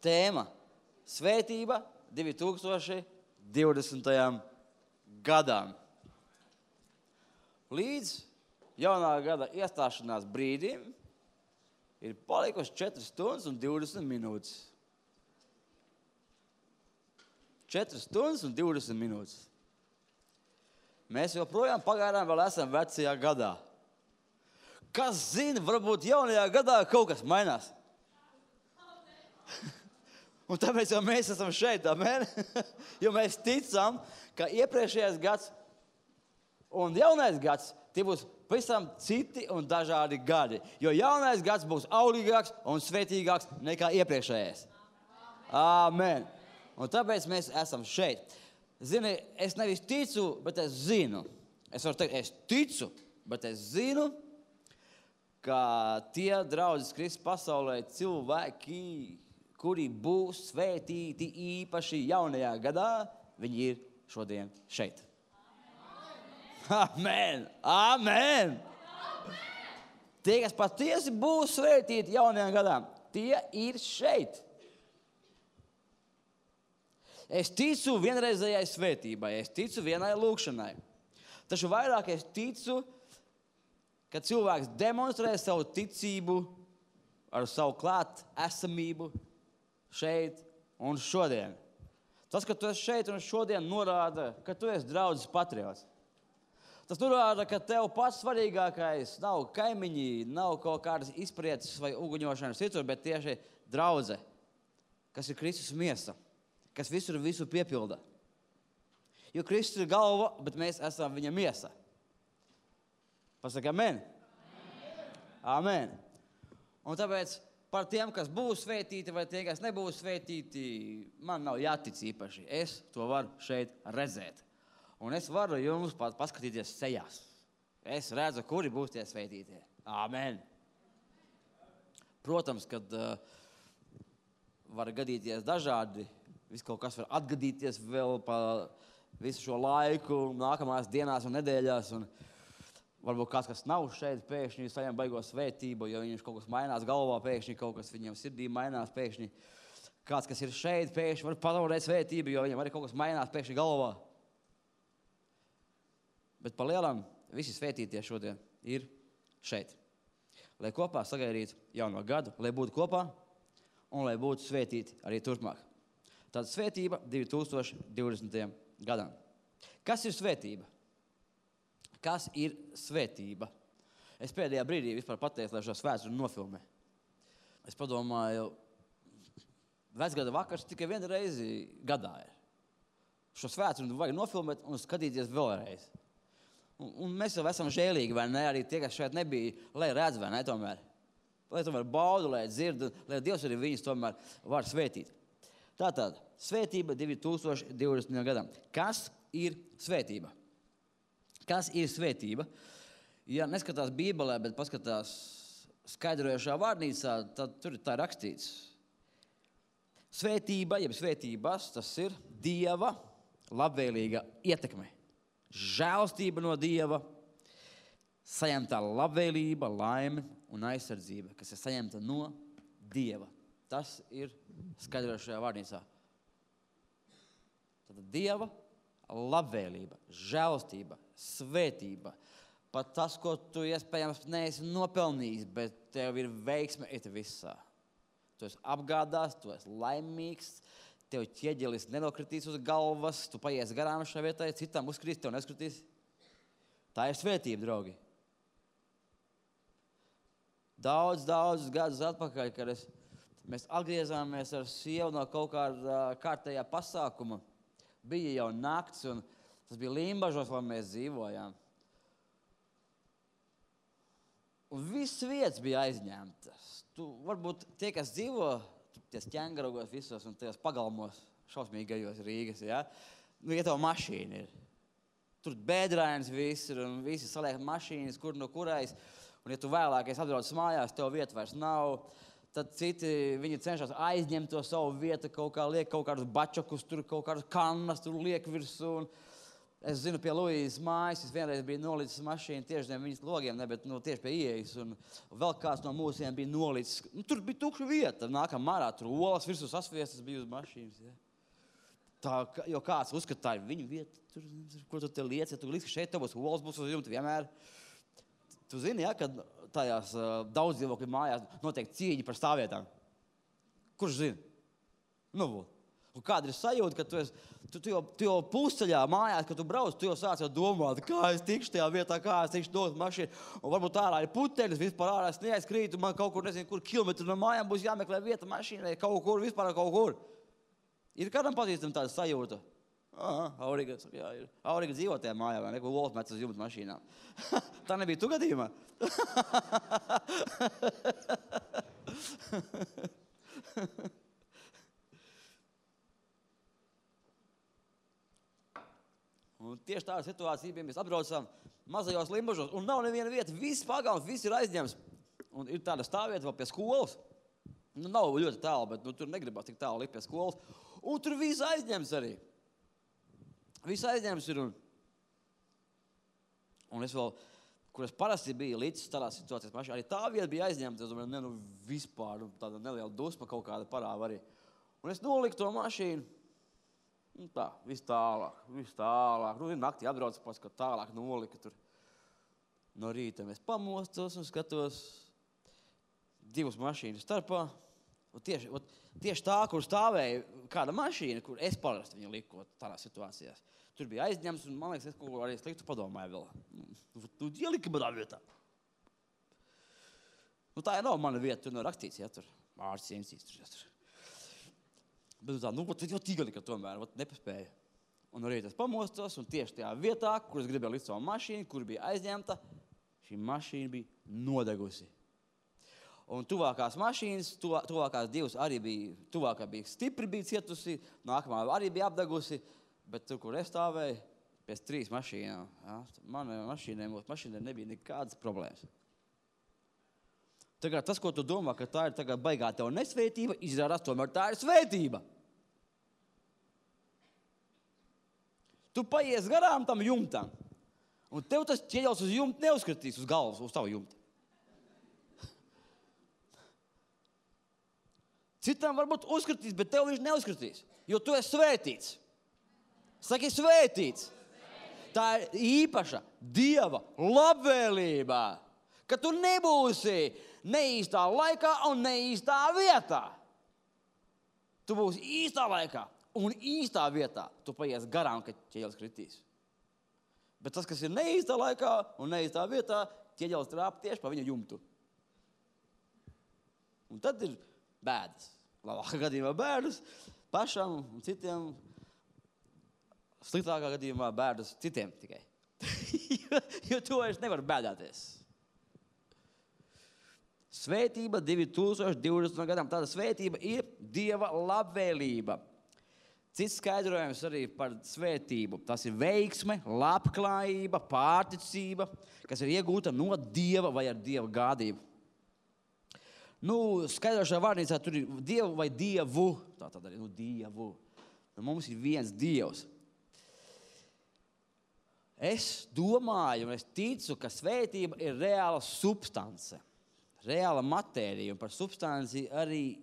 tēma svētība 2020. gadam. Līdz jaunā gada iestāšanās brīdim ir palikuši 4 stundas un 20 minūtes. 4 stundas un 20 minūtes. Mēs joprojām pagaidām vēl esam vecajā gadā. Kas zina, varbūt jaunajā gadā kaut kas mainās. Un tāpēc jau mēs esam šeit, amen? Jo mēs ticam, ka iepriekšējais gads un jaunais gads, tie būs pavisam citi un dažādi gadi. Jo jaunais gads būs auglīgāks un svētīgāks nekā iepriekšējais. Amen. Un tāpēc mēs esam šeit. Zini, es nevis ticu, bet es zinu. Es varu teikt, es ticu, bet es zinu, ka tie draudzes Kristus pasaulē cilvēki, kuri būs svētīti īpaši jaunajā gadā, viņi ir šodien šeit. Amen! Amen! Tie, kas patiesi būs svētīti jaunajā gadā, tie ir šeit. Es ticu vienreizējai svētībai, es ticu vienai lūkšanai. Taču vairāk es ticu, ka cilvēks demonstrē savu ticību ar savu klāt esamību šeit un šodien. Tas, ka tu esi šeit un šodien, norāda, ka tu esi draudzes patriots. Tas norāda, ka tev pats svarīgākais nav kaimiņi, nav kaut kādas izprieces vai uguņošanas citur, bet tieši draudze, kas ir Kristus miesa, kas visur visu piepilda. Jo Kristus ir galva, bet mēs esam viņa miesa. Pasaka amen? Amen. Un tāpēc par tiem, kas būs svētīti vai tie, kas nebūs svētīti, man nav jātic īpaši. Es to varu šeit redzēt. Un es varu jums paskatīties sejās. Es redzu, kuri būs tie svētītie. Amen. Protams, kad var gadīties dažādi, viss kaut kas var atgadīties vēl pa visu šo laiku, nākamās dienās un nedēļās. Un varbūt kāds, kas nav šeit, pēkšņi saņem baigo svētību, jo viņš kaut kas mainās galvā, pēkšņi kaut kas viņam sirdī mainās, pēkšņi kāds, kas ir šeit, pēkšņi var pazaudēt svētību, jo viņam arī kaut kas mainās pēkšņi galvā. Bet pa lielam visi svētītie šodien ir šeit. Lai kopā sagaidītu jauno gadu, lai būtu kopā un lai būtu svētīti arī turpmāk. Tāda svētība 2020. gadam. Kas ir svētība? Kas ir svētība? Es pēdējā brīdī vispār pateicu, lai šo svētdienu nofilmē. Es padomāju, vecgada vakars tikai vienu reizi gadā ir. Šo svētdienu vajag nofilmēt un skatīties vēlreiz. Un mēs jau esam žēlīgi, vai ne? Arī tie, kas šeit nebija, lai redz, vai ne tomēr. Lai tomēr baudu, lai dzird, lai Dievs arī viņus tomēr var svētīt. Tātad, svētība 2020. gadam. Kas ir svētība? Kas ir svētība? Ja neskatās Bībelē, bet paskatās skaidrojošā vārnīcā, tad tur tā rakstīts. Svētība, jeb svētības, tas ir Dieva labvēlīga ietekme. Žēlstība no Dieva, saņemtā labvēlība, laime un aizsardzība, kas ir saņemta no Dieva. Tas ir skaidrošajā vārnīcā. Tad Dieva labvēlība, žēlstība, svētība, pat tas, ko tu iespējams neesi nopelnījis, bet tev ir veiksme it visā. Tu esi apgādās, tu esi laimīgs, tev ķieģelis nenokritīs uz galvas, tu paies garām šai vietai, citam uzkritīs, tev neskritīs. Tā ir svētība, draugi. Daudz gadus atpakaļ, kad mēs atgriezāmies ar sievu no kaut kāda kārtējā pasākuma. Bija jau nakts, un tas bija Limbažos, lai mēs dzīvojām. Un viss vietas bija aizņemtas. Tu varbūt tie, kas dzīvo ties ķengarogos visos un tajos pagalmos, šausmīgajos Rīgas, ja? Ja tev mašīna ir. Tur bēdrains viss ir, un visi saliek mašīnas, kur no kurais. Un ja tu vēlākais atbrauc mājās, tev vieta vairs nav, tad citi viņi cenšas aizņemt to savu vietu, kaut kā liek kaut kādus bačokus, tur kaut kādus kannas, tur liek virsū. Un Es zinu, pie Luīzes mājas, es vienreiz biju nolicis mašīnu tieši zem viņas logiem, ne, bet tieši pie ieejas, un vēl kāds no mūsiem bija nolicis. Tur bija tukša vieta, nākam marā, tur olas virsū sasviestas bija uz mašīnas. Ja. Tā, jo kāds uzskatāja, viņu vieta, tur, ko tu te liec, ja tu līdz, ka šeit tev būs olas, būs uz jumta vienmēr. Tu zini, ja, kad tajās daudz dzīvokļu mājās notiek cīņa par stāvvietām. Kurš zina? Nu, un kāda ir sajūta, ka tu jau pusceļā mājās, kad tu brauc, tu jau sāc jau domāt, kā es tikšu tajā vietā, kā es tikšu dot mašīnu. Un varbūt ārā ir puteļas, vispār ārā es neaizkrītu, man kaut kur, nezinu, kur kilometru no mājām būs jāmeklē vieta mašīnai, kaut kur, vispār kaut kur. Ir kādam pazīstam tāda sajūta? Aha, Auriga, jā, ir. Auriga dzīvo tajā mājā, vai ne, ko Vols met uz jumta mašīnām. Tā nebija tu gadījumā? Un tieši tāda situācija bija, mēs atbraucām mazajos Limbažos, un nav neviena vieta, viss pagalms, viss ir aizņemts. Un ir tāda stāvvieta vēl pie skolas. Nu, nav ļoti tālu, bet tur negribās tik tālu likt pie skolas. Un tur viss aizņemts arī. Viss aizņemts ir. Un es vēl, kur es parasti biju līdz tādās situācijas mašīnā, arī tā vieta bija aizņemta. Es domāju, vispār tāda neliela dusma kaut kāda parāva arī. Un es noliku to mašīnu. Un tā, viss tālāk. Nu, naktī atbraucu pats, ka tālāk nolika tur. No rīta mēs pamostos un skatos divas mašīnas starpā. Un tieši tā, kur stāvēja kāda mašīna, kur es parasti viņu liku tādās situācijās. Tur bija aizņemts, un man liekas, es kaut ko arī sliktu padomāju vēl. Tu ieliki manā vietā. Nu, tā jau nav mana vieta, tur nav rakstīts, ja tur Mārcis Jensīts tur. Bet tā, tad jau tīgalika tomēr, nepaspēja. Un arī tas pamostos, un tieši tajā vietā, kur es gribēju likt savu mašīnu, kur bija aizņemta, šī mašīna bija nodegusi. Un tuvākās mašīnas, tuvākās divas arī bija, tuvākā bija stipri bija cietusi, nākamā arī bija apdegusi, bet tur, kur es stāvēju, pēc 3 mašīnām, ja, manai mašīnai nebija nekādas problēmas. Tagad tas, ko tu domā, ka tā ir tagad baigā tev nesvētība, izrādās tomēr tā ir svētība. Tu paies garām tam jumtam, un tev tas ķieģels uz jumta neuzskatīs uz galvas, uz tavu jumtu. Citam varbūt uzskatīs, bet tev viņš neuzskatīs, jo tu esi svētīts. Saki, svētīts. Tā ir īpaša Dieva labvēlība, ka tu nebūsi neīstā laikā un neīstā vietā. Tu būsi īstā laikā un īstā vietā. Tu paies garām, kad ķieģelis kritīs. Bet tas, kas ir neīstā laikā un neīstā vietā, ķieģelis trāp tieši pa viņa jumtu. Un tad ir bēdas. Labākā gadījumā bēdas pašam un citiem. Sliktākā gadījumā bēdas citiem tikai. jo to es nevaru bēdāties. Svētība 2020. gadam. Tāda svētība ir Dieva labvēlība. Cits skaidrojums arī par svētību. Tas ir veiksme, labklājība, pārticība, kas ir iegūta no Dieva vai ar Dieva gādību. Nu, skaidrošā vārnīcā tur ir Dievu vai Dievu. Tā tad arī, Dievu. Mums ir viens Dievs. Es domāju un es ticu, ka svētība ir reāla substance. Reāla matērija, un par substanci arī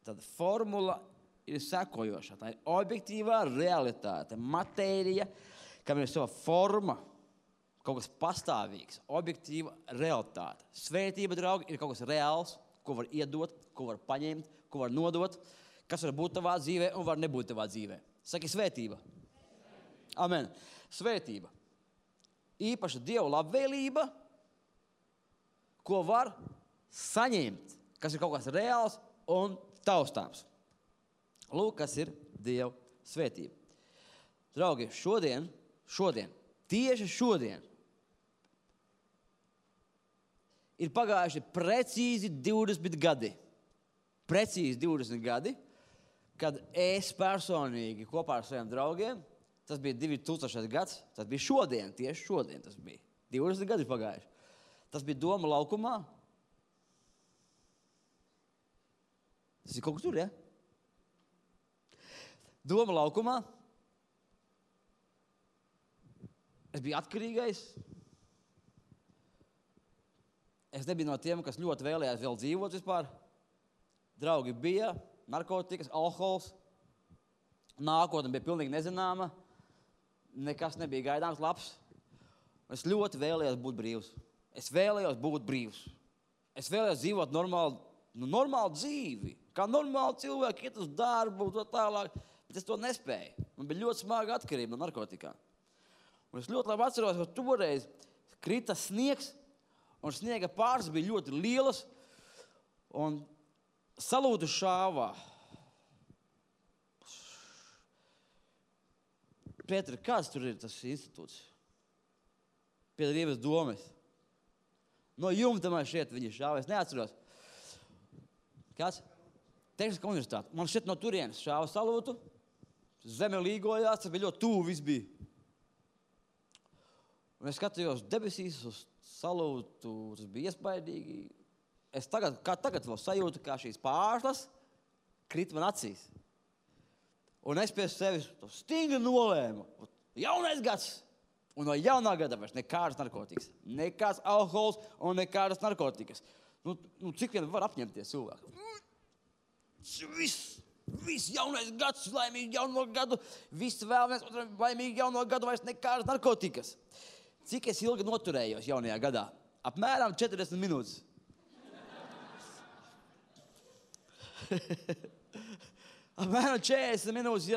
tāda formula ir sekojoša. Tā ir objektīvā realitāte, matērija, kam ir sava forma, kaut kas pastāvīgs, objektīva realitāte. Svētība, draugi, ir kaut kas reāls, ko var iedot, ko var paņemt, ko var nodot, kas var būt tavā dzīvē un var nebūt tavā dzīvē. Saki, svētība. Amen. Svētība. Īpaša Dieva labvēlība, ko var saņemt, kas ir kaut kas reāls un taustāms. Lūk, kas ir Dieva svētība. Draugi, šodien, tieši šodien, ir pagājuši precīzi 20 gadi. Precīzi 20 gadi, kad es personīgi kopā ar saviem draugiem, tas bija 2000 gads, tas bija šodien, tieši šodien tas bija. 20 gadi pagājuši. Tas bija Doma laukumā. Tas ir kaut kas tur, ja? Doma laukumā. Es biju atkarīgais. Es nebiju no tiem, kas ļoti vēlējās vēl dzīvot vispār. Draugi bija, narkotikas, alkohols. Nākotne bija pilnīgi nezināma. Nekas nebija gaidāms labs. Es ļoti vēlējos būt brīvs. Es vēlējos dzīvot normālu dzīvi. Kā normāli cilvēki iet uz darbu un tā tālāk. Bet es to nespēju. Man bija ļoti smaga atkarība no narkotikām. Un es ļoti labi atceros, ka toreiz krita sniegs, un sniega pāris bija ļoti lielas, un salūtu šāvā. Pēteri, kāds tur ir tas institūts? Pie Rīgas domes. No jumta man šeit viņi šāva, es neatceros. Kāds? Tehniskā universitāte. Man šeit no turienes šāva salūtu, zeme līgojās, tas bija ļoti tuvu viss bija. Un es skatījos debesīs uz salūtu, tas bija iespaidīgi. Es tagad vēl sajūtu, kā šīs pārslas krit man acīs. Un es pie sevis stingri nolēmu. Jaunais gads. Un no jaunā gada vairs nekādas narkotikas. Nekāds alkohols un nekādas narkotikas. Cik vien var apņemties cilvēku? Viss jaunais gads, laimīgi jauno gadu. Viss vēlamies laimīgi jauno gadu, vairs nekādas narkotikas. Cik es ilgi noturējos jaunajā gadā? Apmēram 40 minūtes. Apmēram 40 minūtes,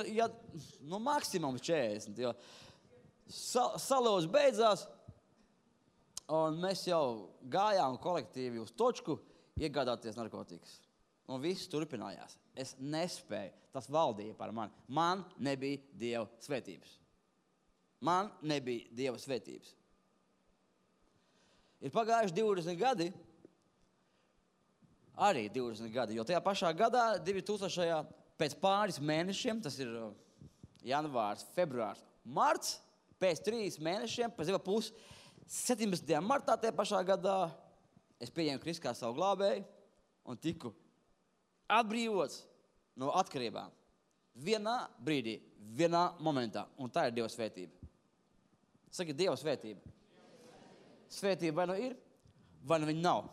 maksimums 40. Jo salūts beidzās, un mēs jau gājām kolektīvi uz točku iegādāties narkotikas. Un viss turpinājās. Es nespēju. Tas valdīja par mani. Man nebija Dieva svētības. Ir pagājuši 20 gadi, arī 20 gadi, jo tajā pašā gadā, 2000. Pēc pāris mēnešiem, tas ir janvārs, februārs, marts, pēc 3 mēnešiem, pēc 17. martā tajā pašā gadā, es pieņēmu Kristu kā savu glābēju un tiku atbrīvots no atkarībām. Vienā brīdī, vienā momentā, un tā ir Dieva svētība. Saki, Dieva svētība. Svētība vai nu ir, vai nu viņa nav.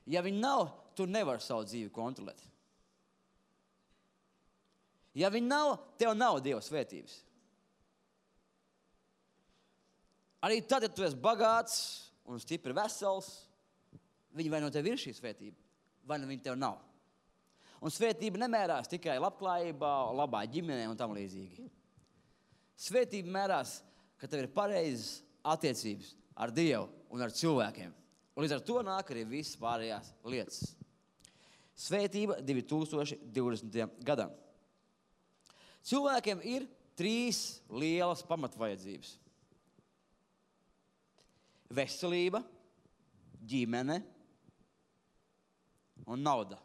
Ja viņa nav, tu nevari savu dzīvi kontrolēt. Ja viņa nav, tev nav Dieva svētības. Arī tad, ja tu esi bagāts un stipri vesels, viņa vai no tev ir šī svētība, vai no viņa tev nav. Un svētība nemērās tikai labklājībā, labā ģimenē un tam līdzīgi. Svētība mērās, ka tev ir pareizas attiecības ar Dievu un ar cilvēkiem. Un līdz ar to nāk arī visas pārējās lietas. Svētība 2020. gadam. Cilvēkiem ir 3 lielas pamatvajadzības. Veselība, ģimene un nauda.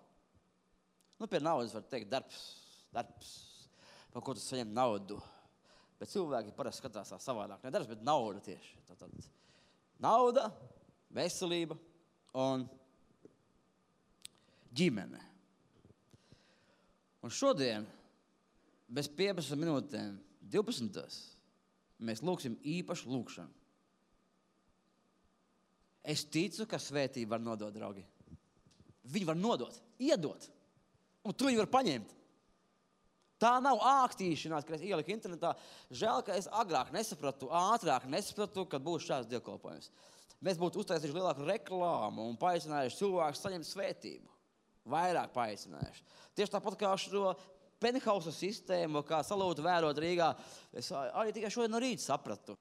Pie naudas var teikt darbs, par ko tu saņem naudu. Bet cilvēki parasti skatās savādāk. Ne darbs, bet nauda tieši. Tātad nauda, veselība un ģimene. Un šodien, bez 15 minūtēm, 12. mēs lūksim īpašu lūkšanu. Es ticu, ka svētība var nodot, draugi. Viņi var nodot, iedot. Un tu viņu var paņemt. Tā nav ākstīšanās, ka es ieliku internetā. Žēl, ka es agrāk ātrāk nesapratu, kad būs šāds dievkalpojums. Mēs būtu uztaisījuši lielāku reklāmu un paaicinājuši cilvēkus saņemt svētību. Vairāk paaicinājuši. Tieši tāpat kā šo penthausa sistēmu, kā salūtu vērot Rīgā, es arī tikai šodien no rīta sapratu.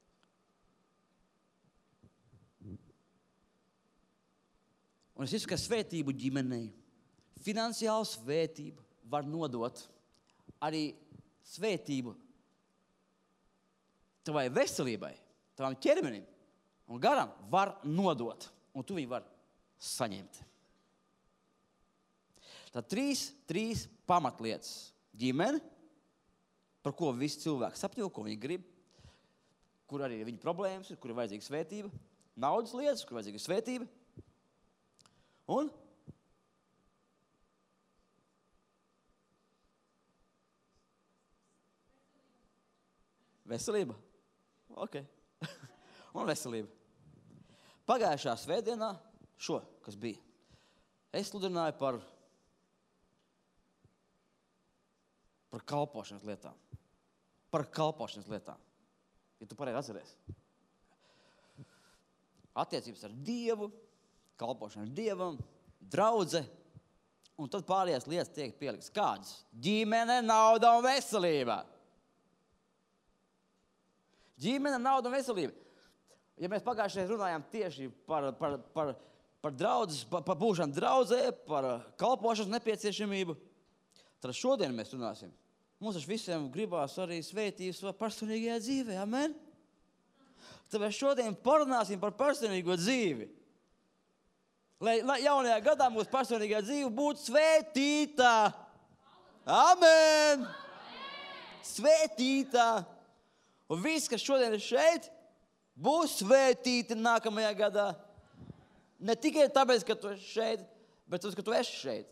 Un es ticu, ka svētību ģimenei, finansiālu svētību var nodot, arī svētību tavai veselībai, tavam ķermenim un garam var nodot, un tu viņu var saņemt. Tad 3 pamatlietas. Ģimene, par ko visi cilvēki sapņo, ko viņi grib, kur arī ir viņa problēmas, kur ir vajadzīga svētība, naudas lietas, kur ir vajadzīga svētība, un veselība. Ok. un veselība. Pagājušā svētdienā, kas bija, es sludināju par kalpošanas lietām. Par kalpošanas lietām. Ja tu pareizi atceries. Attiecības ar Dievu, kalpošana ar Dievam, draudze, un tad pārējās lietas tiek pieliktas. Kādas? Ģimene, nauda un veselība. Ģimene, nauda un veselība. Ja mēs pagājušajā runājām tieši par draudzes, par būšanu draudzē, par kalpošanas nepieciešamību, tad šodien mēs runāsim. Mums taču visiem gribās arī svētības savā personīgajā dzīvē, amen? Tāpēc šodien parunāsim par personīgo dzīvi. Lai jaunajā gadā mūsu personīgā dzīve būtu svētīta. Amen! Svētīta! Un viss, kas šodien ir šeit, būs svētīti nākamajā gadā. Ne tikai tāpēc, ka tu esi šeit, bet tāpēc, ka tu esi šeit.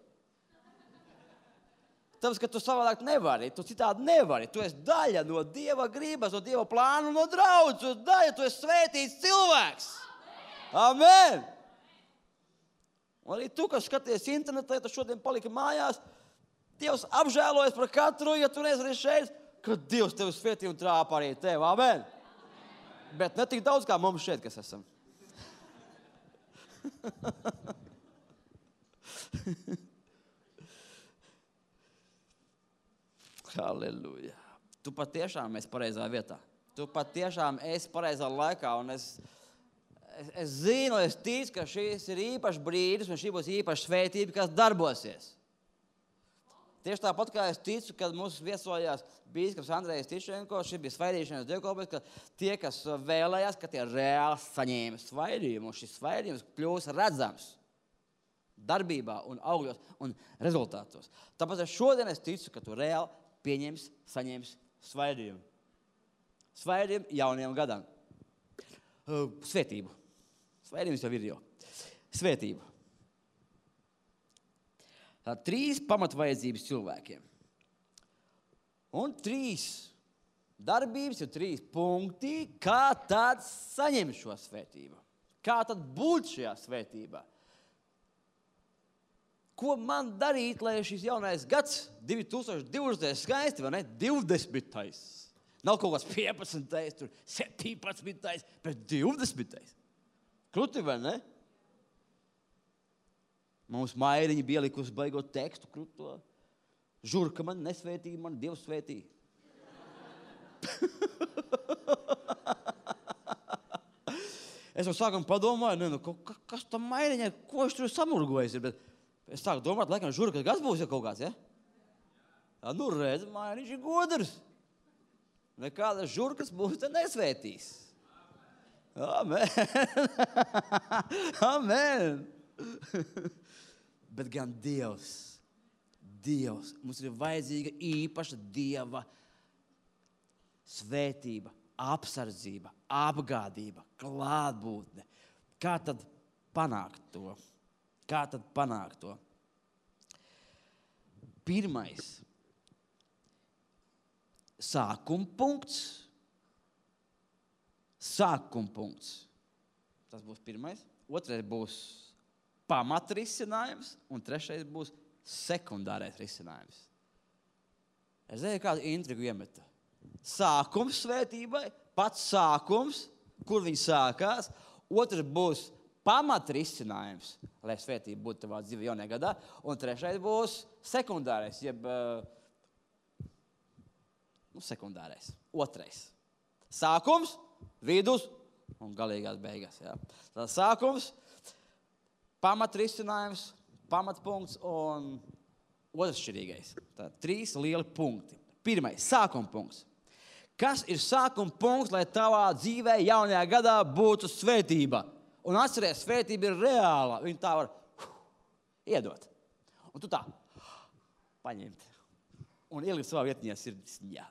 Tāpēc, ka tu savādāk nevari, tu citādi nevari. Tu esi daļa no Dieva gribas, no Dieva plāna, no draudzes. Tu esi daļa, tu esi svētīts cilvēks. Amen! Un arī tu, kas skaties internetā, tu šodien paliki mājās, Dievs apžēlojas par katru, ja tu neesi šeit, ka Dievs tevi svētī un trāpa arī tevi. Amen! Bet ne tik daudz, kā mums šeit, kas esam. Halleluja. Tu patiešām esi pareizā vietā. Tu patiešām esi pareizā laikā. Un es zinu, es ticu, ka šis ir īpašs brīdis un šī būs īpaša svētība, kas darbosies. Tieši tāpat, kā es ticu, kad mums viesojās bīskaps Andrejs Tišenko, šī bija svaidīšanas dievkalpojums, ka tie, kas vēlējās, ka tie reāli saņēma svaidījumu, un šis svaidījums kļūs redzams darbībā un augļos un rezultātos. Tāpēc šodien es ticu, ka tu reāli pieņems, saņems svaidījumu. Svaidījumu jaunajam gadam. Svētību. Svaidījums jau ir jau. Svētību. Tā 3 pamatvajadzības cilvēkiem. Un 3 darbības ir 3 punkti, kā tad saņemt šo svētību. Kā tad būt šajā svētībā. Ko man darīt, lai šis jaunais gads 2020. Skaisti, vai ne? 20. Nav kaut kāds 15. tur 17. bet 20. Kruti, vai ne? Mums Mairiņa bija likusi baigot tekstu kruto. Žurka man nesvētīja, man Dievs svētīja. Es jau sākam padomāju, kas tam Mairiņai, ko viņš tur samurgojas ir, bet es sāku domāt, laikam Žurka gads būs jau kaut kāds, ja? Ja, nu redz, Mairiņš ir godrs. Nekādas žurkas būs te nesvētīs. Amen. Amen. Bet gan Dievs, mums ir vajadzīga īpaša Dieva svētība, apsardzība, apgādība, klātbūtne. Kā tad panākt to? Pirmais, sākuma punkts. Tas būs pirmais. Otrais būs pamatrisinājums, un trešais būs sekundārais risinājums. Es zinu, kādu intrigu iemeta. Sākums svētībai, pats sākums, kur viņi sākās. Otrs būs pamatrisinājums, lai svētība būtu tavā dzīvē jaunajā gadā. Un trešais būs sekundārais, sekundārais. Otrais. Sākums, vidus un galīgās beigas. Ja? Tā sākums, pamatrisinājums, pamatpunkts un otršķirīgais. Tā 3 lieli punkti. Pirmais, sākuma punkts. Kas ir sākuma punkts, lai tavā dzīvē jaunajā gadā būtu svētība? Un atceries, svētība ir reāla. Viņa tā var iedot. Un tu tā paņemt. Un ielikt savā vietņā sirdsņā.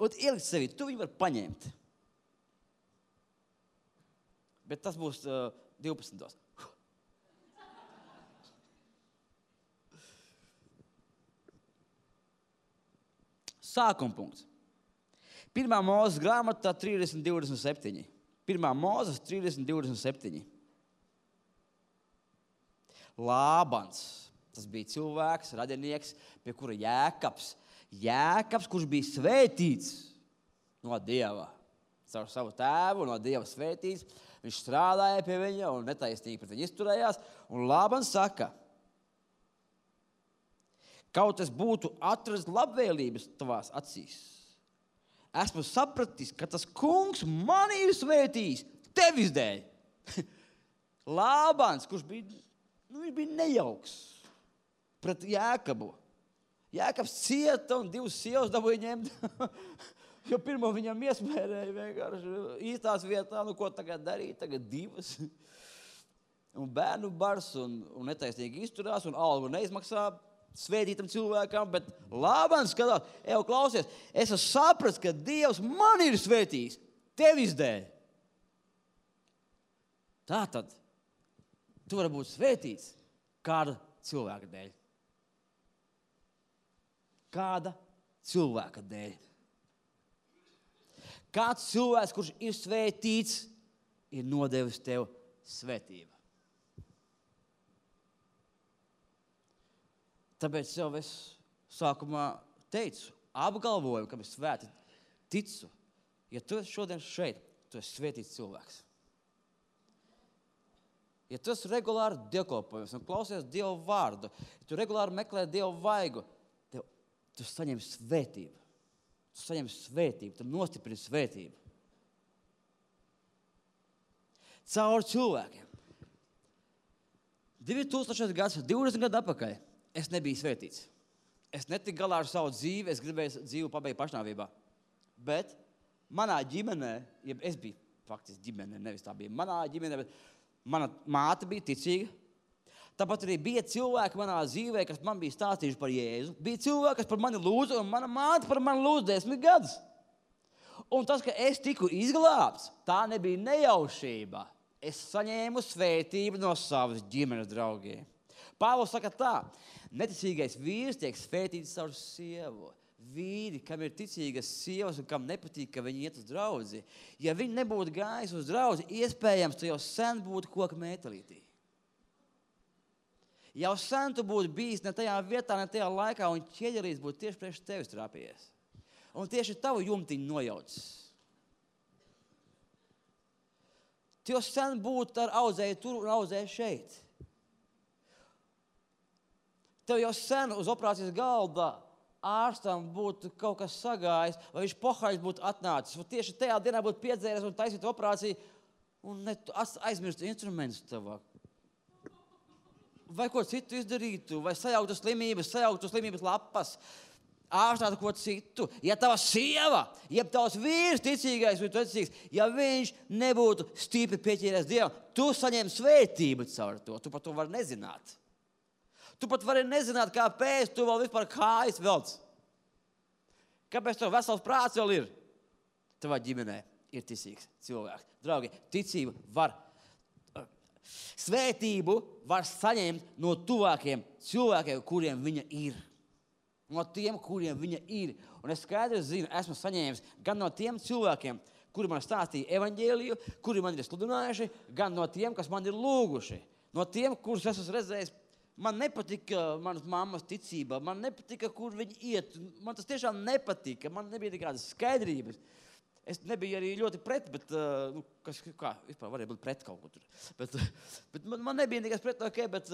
Un ielikt sevi, tu viņu var paņemt. Bet tas būs 12. Sākuma punkts. 1. Mūzes grāmatā 30:27. 1. Mūzes 30:27. Lābans, tas bija cilvēks, radinieks, pie kura Jēkabs, kurš bija svētīts no Dieva, caur savu tēvu, no Dieva svētīts, viņš strādāja pie viņa un netaisnīgi pret viņu izturējās, un Lābans saka, kaut es būtu atradis labvēlības tavās acīs, esmu sapratis, ka tas kungs mani ir svētījis tevis dēļ. Lābans, kurš bija, viņš bija nejauks pret Jēkabu. Jēkabs cieta un 2 sievas dabūja ņemt, jo pirmo viņam iesmērēja vienkārši īstās vietā, ko tagad darīt, tagad 2. Un bērnu bars un netaisnīgi izturās un algu neizmaksā svētītam cilvēkam, bet Lābans skatās, klausies, es esmu sapratis, ka Dievs man ir svētījis tevis dēļ. Tātad, tu vari būt svētīts kāda cilvēka dēļ. Kāda cilvēka dēļ. Kāds cilvēks, kurš ir svētīts, ir nodevis tev svētību. Tāpēc jau es sākumā teicu, apgalvoju, ka es svēti ticu. Ja tu esi šodien šeit, tu esi svētīts cilvēks. Ja tu esi regulāri dievkalpojums un klausies Dievu vārdu, ja tu regulāri meklē Dievu vaigu, tu saņem svētību. Tu saņem svētību, tu nostiprini svētību. Caur cilvēkiem. 2000 gadus, 20 gadu atpakaļ, es nebiju svētīts. Es netiku galā ar savu dzīvi, es gribēju dzīvi pabeigt pašnāvībā. Bet manā ģimenē, es biju faktiski ģimenē, nevis tā bija manā ģimenē, bet mana māte bija ticīga. Tāpat arī bija cilvēki manā dzīvē, kas man bija stāstījuši par Jēzu. Bija cilvēki, kas par mani lūdza, un mana māte par mani lūdza 10 gadus. Un tas, ka es tiku izglābts, tā nebija nejaušība. Es saņēmu svētību no savas ģimenes draugiem. Pāvils saka tā, neticīgais vīrs tiek svētīts caur sievu. Vīri, kam ir ticīgas sievas un kam nepatīk, ka viņi iet uz draudzi. Ja viņi nebūtu gājis uz draudzi, iespējams, tu jau sen būtu koka mētelītī. Jau sen tu būtu bijis ne tajā vietā, ne tajā laikā, un ķieģelīs būtu tieši priekš tevis trāpījies. Un tieši tavu jumtiņu nojaucis. Tu jau sen būtu ar audzēju tur un audzēju šeit. Tev jau sen uz operācijas galda ārstam būtu kaut kas sagājis, vai viņš pohaļs būtu atnācis, vai tieši tajā dienā būtu piedzēries un taisītu operāciju, un aizmirst instrumentus tavā. Vai ko citu izdarītu, vai sajauktu slimības lapas, ārstātu ko citu. Ja tava sieva, ja tavs vīrs ticīgais vai tu ticīgs, ja viņš nebūtu stipri pieķēries Dievam, tu saņem svētību caur to, tu par to vari nezināt. Tu pat vari nezināt, kāpēc tu vēl vispār kājas velc. Kāpēc tev vesels prāts vēl ir? Tavā ģimenē ir ticīgs cilvēks. Draugi, ticību var svētību var saņemt no tuvākiem cilvēkiem, kuriem viņa ir. No tiem, kuriem viņa ir. Un es skaidri zinu, esmu saņēmis gan no tiem cilvēkiem, kuri man stāstīja evaņģēliju, kuri man ir sludinājuši, gan no tiem, kas man ir lūguši. No tiem, kurus es esmu redzējis, man nepatika manas mammas ticība, man nepatika, kur viņi iet. Man tas tiešām nepatika, man nebija nekādas skaidrības. Es nebiju arī ļoti pret, bet, kā, vispār varēja būt pret kaut ko tur. Bet man nebija nekas pret, bet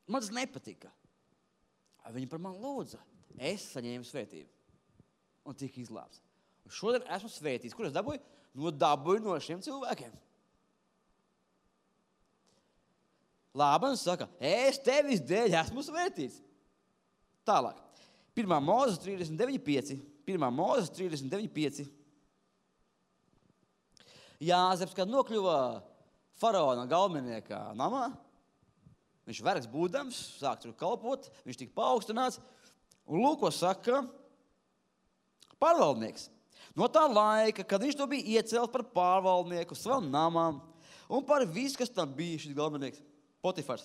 man tas nepatika. Viņi par mani lūdza. Es saņēmu svētību un tika izglābts. Un šodien esmu svētīts. Kur es dabūju? Dabūju no šiem cilvēkiem. Lābans saka, es tevis dēļ esmu svētīts. Tālāk. 1. Mūzes 39:5. 1. Mūzes 39:5. Jāzeps, kad nokļuva faraona galvenieka namā, viņš vergs būdams, sāk tur kalpot, viņš tika paaugstināts, un lūk, ko saka pārvaldnieks. No tā laika, kad viņš to bija iecelts par pārvaldnieku savam namam, un par visu, kas tam bija šis galvenieks, Potifars.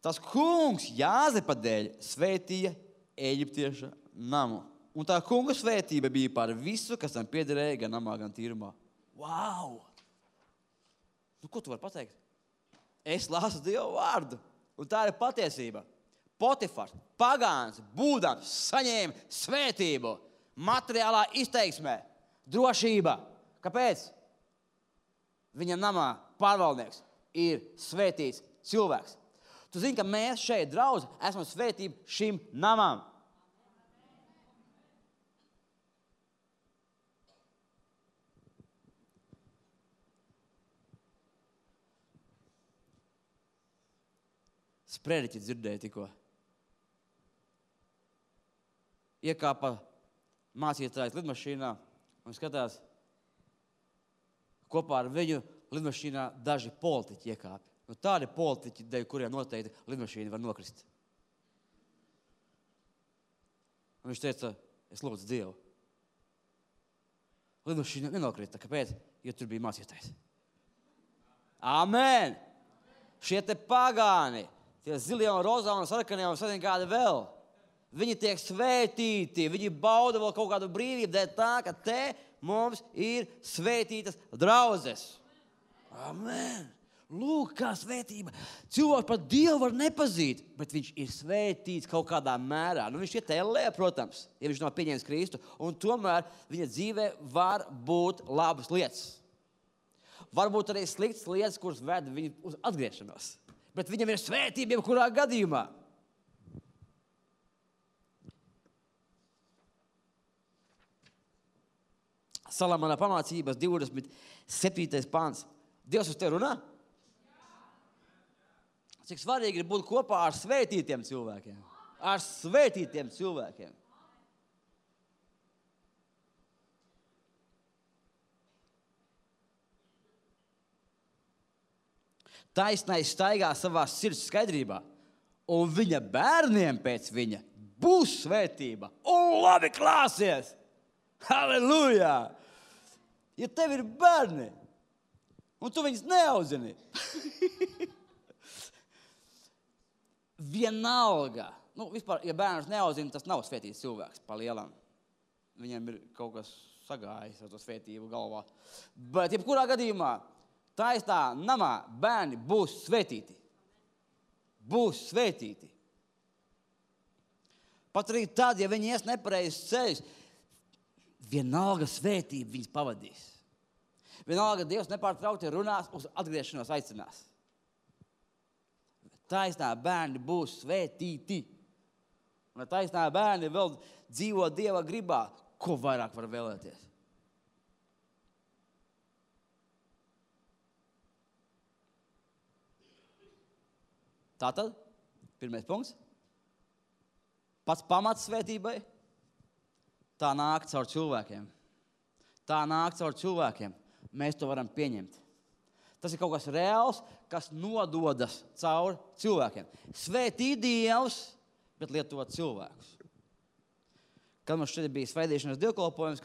Tas kungs Jāzepa dēļ svētīja Ēģiptieša namu. Un tā kunga svētība bija par visu, kas tam piederēja gan namā, gan tīrumā. Wow! Nu, ko tu vari pateikt? Es lasu Dievu vārdu, un tā ir patiesība. Potifars, pagāns, būdams, saņēma svētību, materiālā izteiksmē, drošība. Kāpēc? Viņam namā pārvaldnieks ir svētīts cilvēks. Tu zini, ka mēs šeit, draudz, esam svētība šim namam. Sprediķi dzirdēja tikko. Iekāpa mācītājs lidmašīnā un skatās, kopā ar viņu lidmašīnā daži politiķi iekāpi. Nu, tādi politiķi, dēļ kuriem noteikti lidmašīna var nokrist. Un viņš teica, es lūdzu Dievu. Lidmašīna nenokrita. Kāpēc? Jo tur bija mācītājs. Amen! Šie te pagāni, tie zilie un rozā un sarkanie un sadien kādi vēl. Viņi tiek svētīti, viņi bauda vēl kaut kādu brīvību, dēļ tā, ka te mums ir svētītas draudzes. Amen! Lūk, kā svētība. Cilvēks pat Dievu var nepazīt, bet viņš ir svētīts kaut kādā mērā. Nu, viņš ir tēlē, protams, ja viņš nav pieņēmis Kristu, un tomēr viņa dzīvē var būt labas lietas. Varbūt arī sliktas lietas, kuras ved viņu uz atgriešanos. Bet viņam ir svētība jebkurā gadījumā. Salamana pamācības 27. pāns. Dievs uz tevi runā? Cik svarīgi ir būt kopā ar svētītiem cilvēkiem. Ar svētītiem cilvēkiem. Taisnais staigā savā sirds skaidrībā, un viņa bērniem pēc viņa būs svētība. Un labi klāsies! Halleluja! Ja tev ir bērni, un tu viņus neaudzini, vienalga. Nu, vispār, ja bērns neaudzina, tas nav svētīts cilvēks pa lielam. Viņam ir kaut kas sagājis ar to svētību galvā. Bet, jebkurā gadījumā, taisnā namā bērni būs svētīti. Būs svētīti. Pat arī tad, ja viņi ies nepareizes ceļus, vienalga svētība viņus pavadīs. Vienalga Dievs nepārtraukti runās, uz atgriešanos aicinās. Taisnā bērni būs svētīti. Un taisnā bērni vēl dzīvo Dieva gribā, ko vairāk var vēlēties. Tātad, pirmais punkts. Pats pamats svētībai, tā nāk caur cilvēkiem. Tā nāk caur cilvēkiem. Mēs to varam pieņemt. Tas ir kaut kas reāls, kas nododas caur cilvēkiem. Svētī Dievs, bet lietot cilvēkus. Kad mums šeit bija svētīšanas dievkalpojums,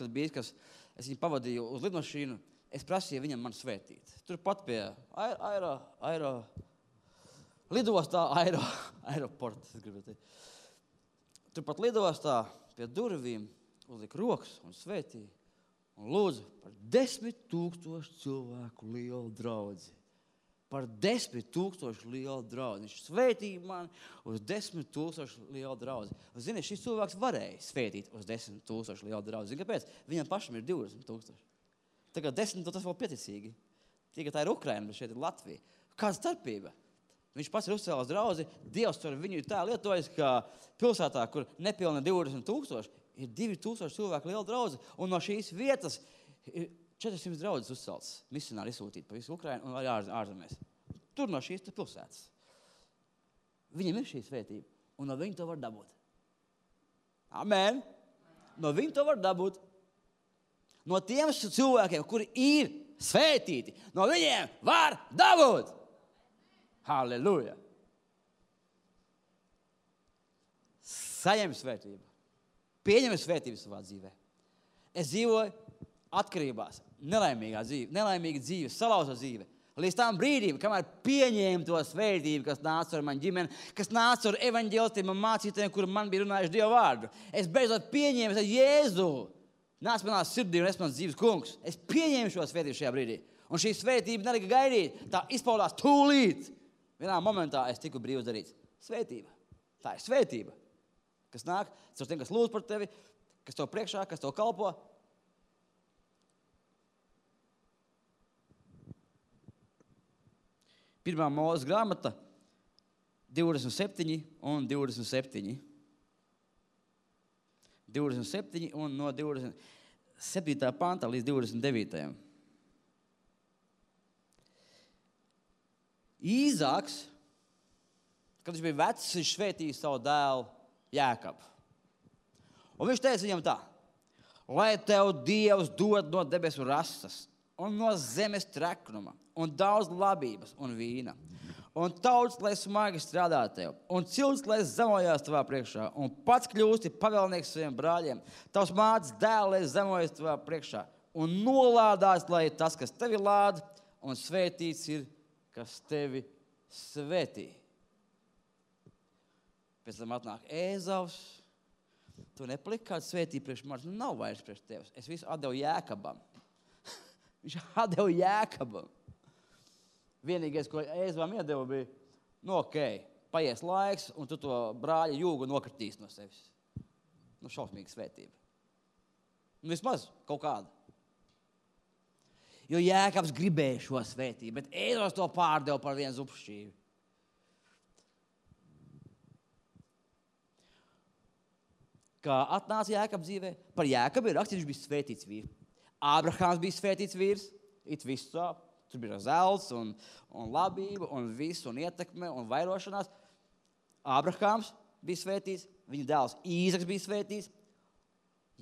es viņu pavadīju uz lidmašīnu, es prasīju viņam man svētīt. Turpat pie aeroporta, es gribu teikt. Turpat lidostā pie durvīm uzlika rokas un svētīja. Un lūdzu par 10,000 cilvēku lielu draudzi. Par 10,000 lielu draudzi. Viņš svētīja mani uz 10,000 lielu draudzi. Un, zini, šis cilvēks varēja svētīt uz 10,000 lielu draudzi. Zini, kāpēc? Viņam pašam ir 20,000. Tagad 10, tas vēl pieticīgi. Tikai tā ir Ukraina, bet šeit ir Latvija. Kāda starpība? Viņš pats ir uzcēlās draudzi. Dievs tur viņu tā lietojas, ka pilsētā, kur nepilna 20,000, ir 2,000 cilvēku liela draudze, un no šīs vietas ir 400 draudzes uzceltas, misionāri izsūtīti pa visu Ukrainu un arī ārzemēs. Tur no šīs pilsētas. Viņam ir šī svētība, un no viņa to var dabūt. Amen! No viņa to var dabūt. No tiem cilvēkiem, kuri ir svētīti, no viņiem var dabūt. Halleluja! Saņem svētību. Pieņem svētību savā dzīvē. Es dzīvoju atkarībās, nelaimīga dzīve, salauzta dzīve. Līdz tam brīdim, kamēr pieņēmu to svētību, kas nāca ar mani ģimeni, kas nāca ar evaņģēlistiem un mācītājiem, kuri man bija runājuši Dievu vārdu. Es beidzot pieņēmu, es Jēzu, nāc manā sirdī un es mans dzīves kungs. Es pieņēmu šo svētību šajā brīdī. Un šī svētība nelika gaidīt, tā izpaudās tūlīt. Vienā momentā es tiku brīvs darīts. Svētība. Tā ir svētība, kas nāk caur tiem, kas lūdz par tevi, kas tev priekšā, kas tev kalpo. Pirmā Mūzes grāmata 27 un 27. 27 un no 27. panta līdz 29. Īzāks, kad viņš bija vecs, viņš svētīja savu dēlu Jēkabu. Un viņš teica viņam tā: lai tev Dievs dod no debesu rasas un no zemes treknuma un daudz labības un vīna. Un tauts, lai smagi strādā tev, un cilts, lai zemojās tavā priekšā, un pats kļūsti pavēlnieks saviem brāļiem. Tavs mātes dēls, lai zemojas tavā priekšā, un nolādās, lai tas, kas tevi lāda, un svētīts ir, kas tevi svētī. Pēc tam atnāk Ēzavs. Tu nepaliki kādu svētību priekš manis, nav vairs priekš tevis. Es visu atdevu Jēkabam. Viņš atdeva Jēkabam. Vienīgais, ko Ēzavam iedeva, bija, paies laiks, un tu to brāļa jūgu nokritīs no sevis. Šausmīga svētība. Vismaz kaut kāda. Jo Jēkabs gribēja šo svētību, bet Ēzavs to pārdeva par vienu zupšķīvi. Kā atnāca Jēkabs dzīvē? Par Jēkabu ir rakstīts, viņš bija svētīts vīrs. Ābrahāms bija svētīts vīrs, it viss sāp. Tur bija zelts un labība un viss un ietekme un vairošanās. Ābrahāms bija svētīts, viņa dēls Īzaks bija svētīts,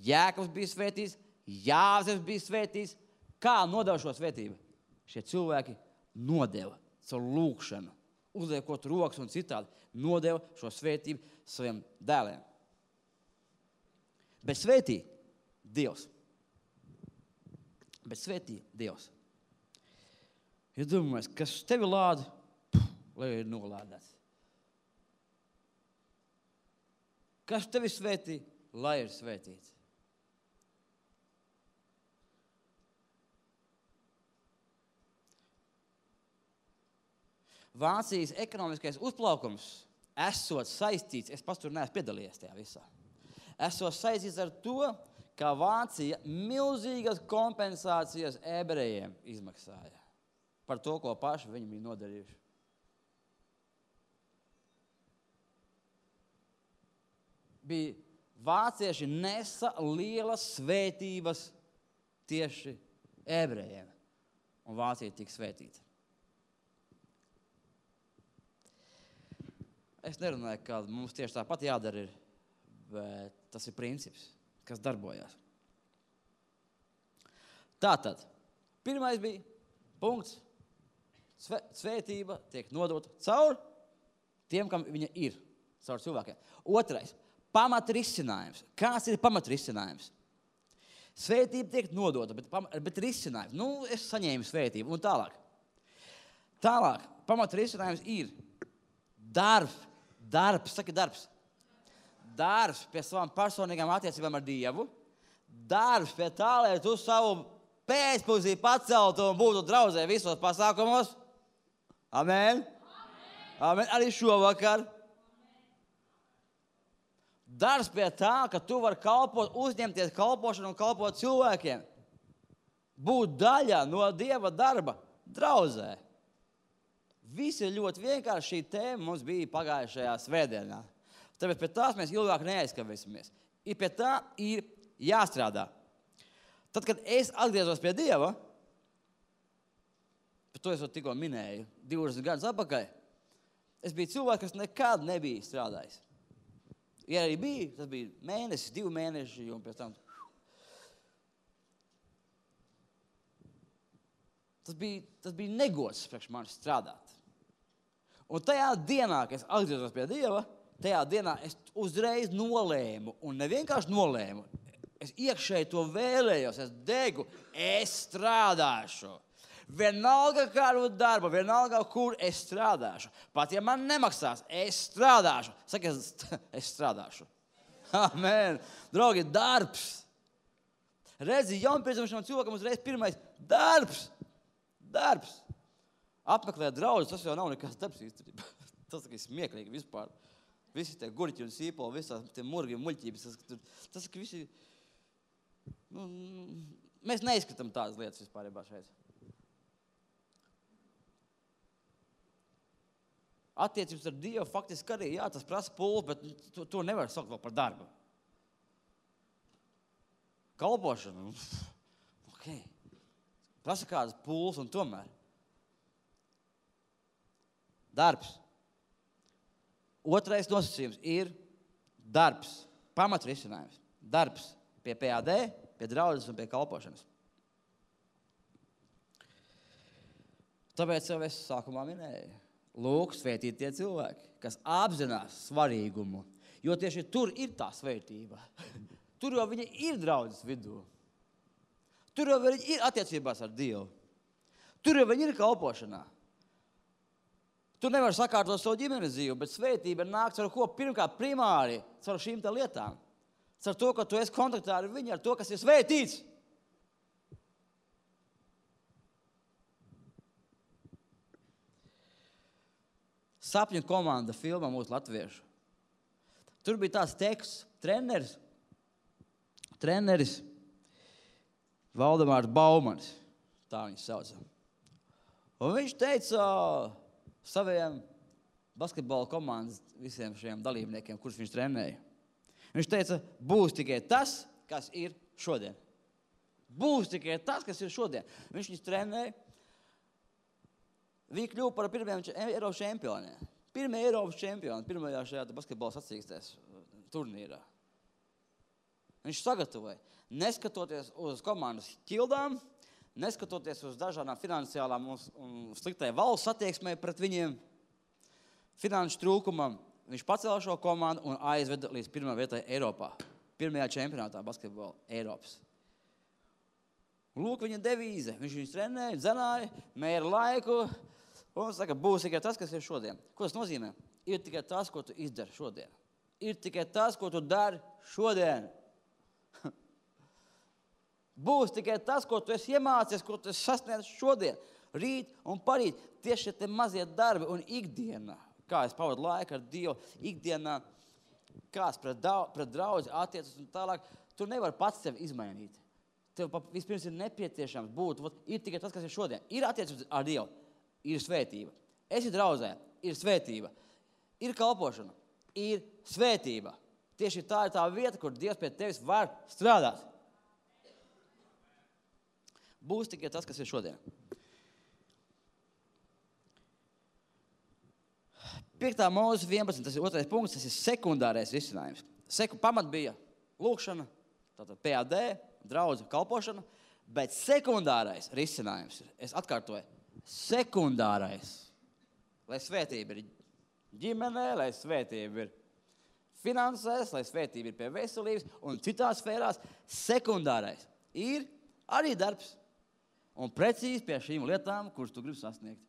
Jēkabs bija svētīts, Jāzeps bija svētīts. Kā nodeva šo svētību? Šie cilvēki nodeva savu lūkšanu, uzliekot rokas un citādi, nodeva šo svētību saviem dēliem. Bet svētī Dievs. Ja domājies, kas tevi lāda, lai ir nolādēts. Kas tevi svētī, lai ir svētīts. Vācijas ekonomiskais uzplaukums esot saistīts, es pats tur neesmu piedalījies tajā visā, esot saistīts ar to, ka Vācija milzīgas kompensācijas ebrejiem izmaksāja par to, ko paši viņi bija nodarījuši. Vācieši nesa lielas svētības tieši ebrejiem, un Vācija tika svētīta. Es nerunāju, ka mums tieši tāpat jādara ir, bet tas ir princips, kas darbojās. Tātad, pirmais bija punkts. Svētība tiek nodota caur tiem, kam viņa ir, caur cilvēkiem. Otrais, pamatrisinājums. Kāds ir pamatrisinājums? Svētība tiek nodota, bet risinājums. Es saņēmu svētību un tālāk. Tālāk, pamatrisinājums ir darbs, saki darbs. Darbs pie savām personīgām attiecībām ar Dievu. Darbs pie tā, lai tu savu pēcpusdī paceltu un būtu draudzē visos pasākumos. Amen. Amen. Arī šovakar. Darbs pie tā, ka tu vari kalpot, uzņemties kalpošanu un kalpot cilvēkiem. Būt daļā no Dieva darba draudzē. Viss ir ļoti vienkārši. Šī tēma mums bija pagājušajā svētdienā. Tāpēc pie tās mēs ilgāk neaizkavēsimies. Pie tā ir jāstrādā. Tad, kad es atgriezos pie Dieva, par to es tikko minēju, 20 gadus atpakaļ, es biju cilvēks, kas nekad nebija strādājis. Ja arī bija, tas bija mēnesis, 2 mēneši, un pēc tam tas bija negods priekš manis strādāt. Un tajā dienā, kad es atgriezos pie Dieva, tajā dienā es uzreiz nolēmu, un nevienkārši nolēmu, es iekšēji to vēlējos, es degu, es strādāšu. Vienalga kādu darbu, vienalga, kur es strādāšu. Pat ja man nemaksās, es strādāšu. Saka, es strādāšu. Amen. Draugi, darbs. Redzi, jaunpiedzimšanas cilvēkam uzreiz pirmais darbs. Darbs. Apmeklēt draudzus, tas jau nav nekas darbs īstenībā. Tas ir smieklīgi vispār. Visi tie gurķi un sīpoli, visās tie murgi un muļķības. Tas ir visi... mēs neizskatām tādas lietas vispārībā šeit. Attiecības ar Dievu faktiski arī, jā, tas prasa pulli, bet to nevar saukt vēl par darbu. Kalpošana, ok. Prasa kādas pulles un tomēr. Darbs. Otrais nosacījums ir darbs. Pamatrisinājums. Darbs pie PAD, pie draudzes un pie kalpošanas. Tāpēc jau es sākumā minēju. Lūk, svētīt tie cilvēki, kas apzinās svarīgumu, jo tieši tur ir tā svētība. Tur jau viņi ir draudzes vidū. Tur jau viņi ir attiecībās ar Dievu. Tur jau viņi ir kalpošanā. Tu nevari sakārtot savu ģimenes dzīvi, bet svētība nāk ar ko? Pirmkārt, primāri, caur šīm tā lietām. Caur to, ka tu esi kontaktā ar viņu, ar to, kas ir svētīts. Sapņu komanda filmā mūsu latviešu. Tur bija tāds teksts, treneris Valdemārs Baumans, tā viņš sauca. Un viņš teica saviem basketbola komandas visiem šiem dalībniekiem, kurus viņš trenēja. Viņš teica, būs tikai tas, kas ir šodien. Būs tikai tas, kas ir šodien. Viņš viņus trenēja. Viņi kļuva par pirmajiem Eiropas čempioniem. Pirmie Eiropas čempioni, pirmajā šajā basketbola sacīkstēs turnīrā. Viņš sagatavoja, neskatoties uz komandas ķildām, neskatoties uz dažādām finansiālām un sliktai valsts attieksmē pret viņiem, finanšu trūkumam, viņš pacēla šo komandu un aizveda līdz pirmā vietai Eiropā. Pirmajā čempionātā basketbola Eiropas. Lūk, viņa devīze. Viņš viņus trenēja, dzenāja, mēra laiku un saka, būs tikai tas, kas ir šodien. Ko tas nozīmē? Ir tikai tas, ko tu izdari šodien. Ir tikai tas, ko tu dari šodien. Būs tikai tas, ko tu esi iemācies, ko tu esi sasniedz šodien, rīt un parīt. Tieši tie mazie darbi un ikdienā, kā es pavadu laiku ar Dievu, ikdienā, kāds pret draudzi attiecas un tālāk, tu nevari pats sevi izmainīt. Tev vispirms ir nepieciešams būt, ir tikai tas, kas ir šodien. Ir attiecības ar Dievu, ir svētība. Esi draudzē, ir svētība. Ir kalpošana, ir svētība. Tieši tā ir tā vieta, kur Dievs pie tevis var strādāt. Būs tikai tas, kas ir šodien. 5. Mūzes 11, tas ir 2. punkts, tas ir sekundārais risinājums. Pamat bija lūkšana, tātad PAD, draudze, kalpošana, bet sekundārais risinājums ir, es atkārtoju, sekundārais, lai svētība ir ģimenē, lai svētība ir finansēs, lai svētība ir pie veselības un citās sfērās, sekundārais ir arī darbs un precīzi pie šīm lietām, kuras tu gribi sasniegt.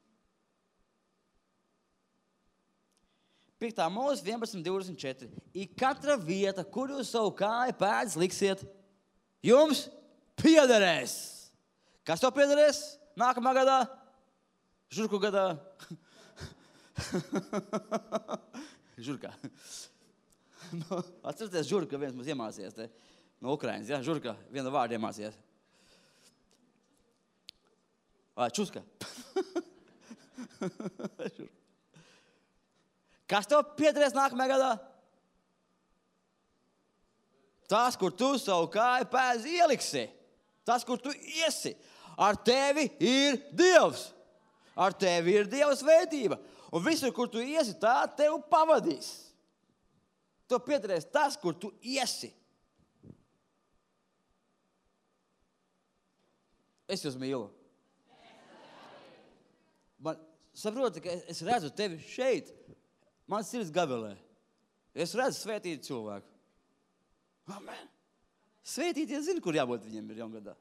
5. Mūzes 11.24. Ir katra vieta, kur jūs savu kāju pēdas liksiet, jums piederēs. Kas tev piederēs nākamā gadā? Žurku gadā? Žurkā. Atcerieties, Žurka viens mums iemācījās te, no Ukrainas. Ja? Žurka vienu vārdu iemācījās. Čuska. Kas tev piederēs nākamajā gadā? Tas, kur tu savu kāju pēdas ieliksi. Tas, kur tu iesi. Ar tevi ir Dievs. Ar tevi ir Dieva svētība. Un visur, kur tu iesi, tā tev pavadīs. Tev piederēs tas, kur tu iesi. Es jūs mīlu. Man saproti, ka es redzu tevi šeit. Man sirds gabelē. Es redzu svētītu cilvēku. Amen. Svētītie zina, kur jābūt viņiem ir jaungadā.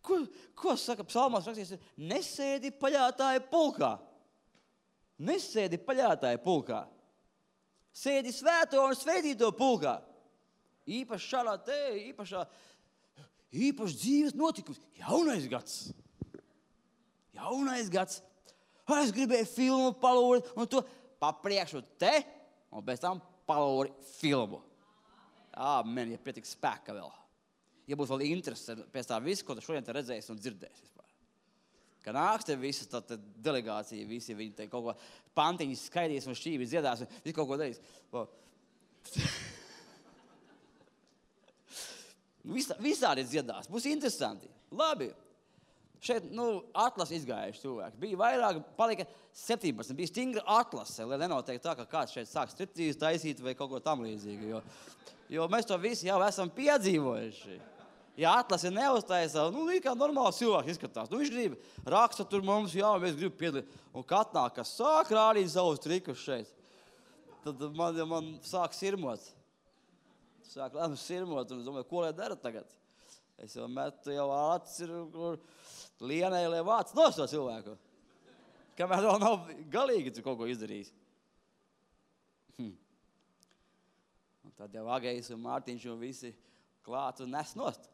Ko saka psalmās rakstīts? Nesēdi paļātāja pulkā. Nesēdi paļātāja pulkā. Sēdi svēto un svētīto pulkā. Īpaši šādā īpaši dzīves notikums. Jaunais gads. Es gribēju filmu palūri un to papriekšu te un pēc tam palūri filmu. Amen, ja pietiks spēka vēl. Ja būs vēl interese pēc tā visu, ko tu šodien te redzēsi un dzirdēsi vispār. Ka nāks te visas tā delegācija, visi viņi te kaut ko pantiņas skaidīs un šķības dziedās un visu kaut ko darīs. Visādi dziedās, būs interesanti. Labi. Šeit, atlase izgājuši cilvēki. Bija vairāk, palika 17. Bija stingra atlase, lai nenotiek tā, ka kāds šeit sāk striptīzi taisīt vai kaut ko tam līdzīgi. Jo mēs to visi jau esam piedzīvojuši. Ja atlase neuztaisa, kā normāls cilvēks izskatās. Viņš grib raksta tur mums, mēs gribam piedalīt. Un katnāk, kas sāk rādīt savus trikus šeit, tad man sāk sirmot. Sāk sirmot un domāju, ko lai dara tagad? Es jau metu acis ir lienai, lai vāc no šo cilvēku. Kamēr vēl nav galīgi tu kaut ko izdarījis. Un tad jau Agejs un Mārtiņš un visi klāt un nes nost.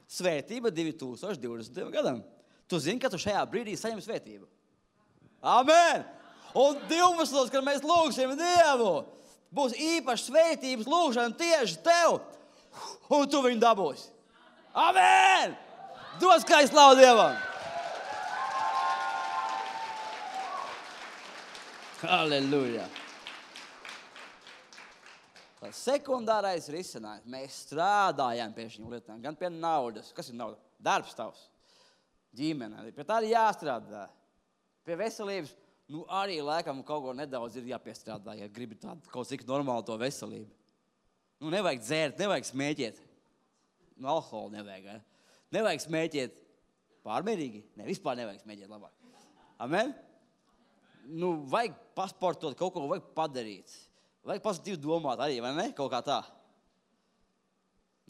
Svētība 2020. gadam. Tu zini, ka tu šajā brīdī saņem svētību. Amen! Un 12. kad mēs lūgsim Dievu, būs īpaši svētības lūgšana tieši tev, un tu viņu dabūsi. Amen! Dos kā slavu Dievam! Halleluja! Tā sekundārais risinājums. Mēs strādājam pie šīm lietām, gan pie naudas. Kas ir nauda? Darbs tavs. Ģimene. Pie tā ir jāstrādā. Pie veselības, arī laikam kaut ko nedaudz ir jāpiestrādā, ja gribi tādu kaut cik normālu to veselību. Nevajag dzērt, nevajag smēķēt. Alkoholu nevajag, ja? Nevajag smēķēt pārmērīgi. Vispār nevajag smēķēt labāk. Amen? Vajag pasportot, kaut ko vajag padarīt. Vajag pozitīvi domāt arī, vai ne? Kaut kā tā.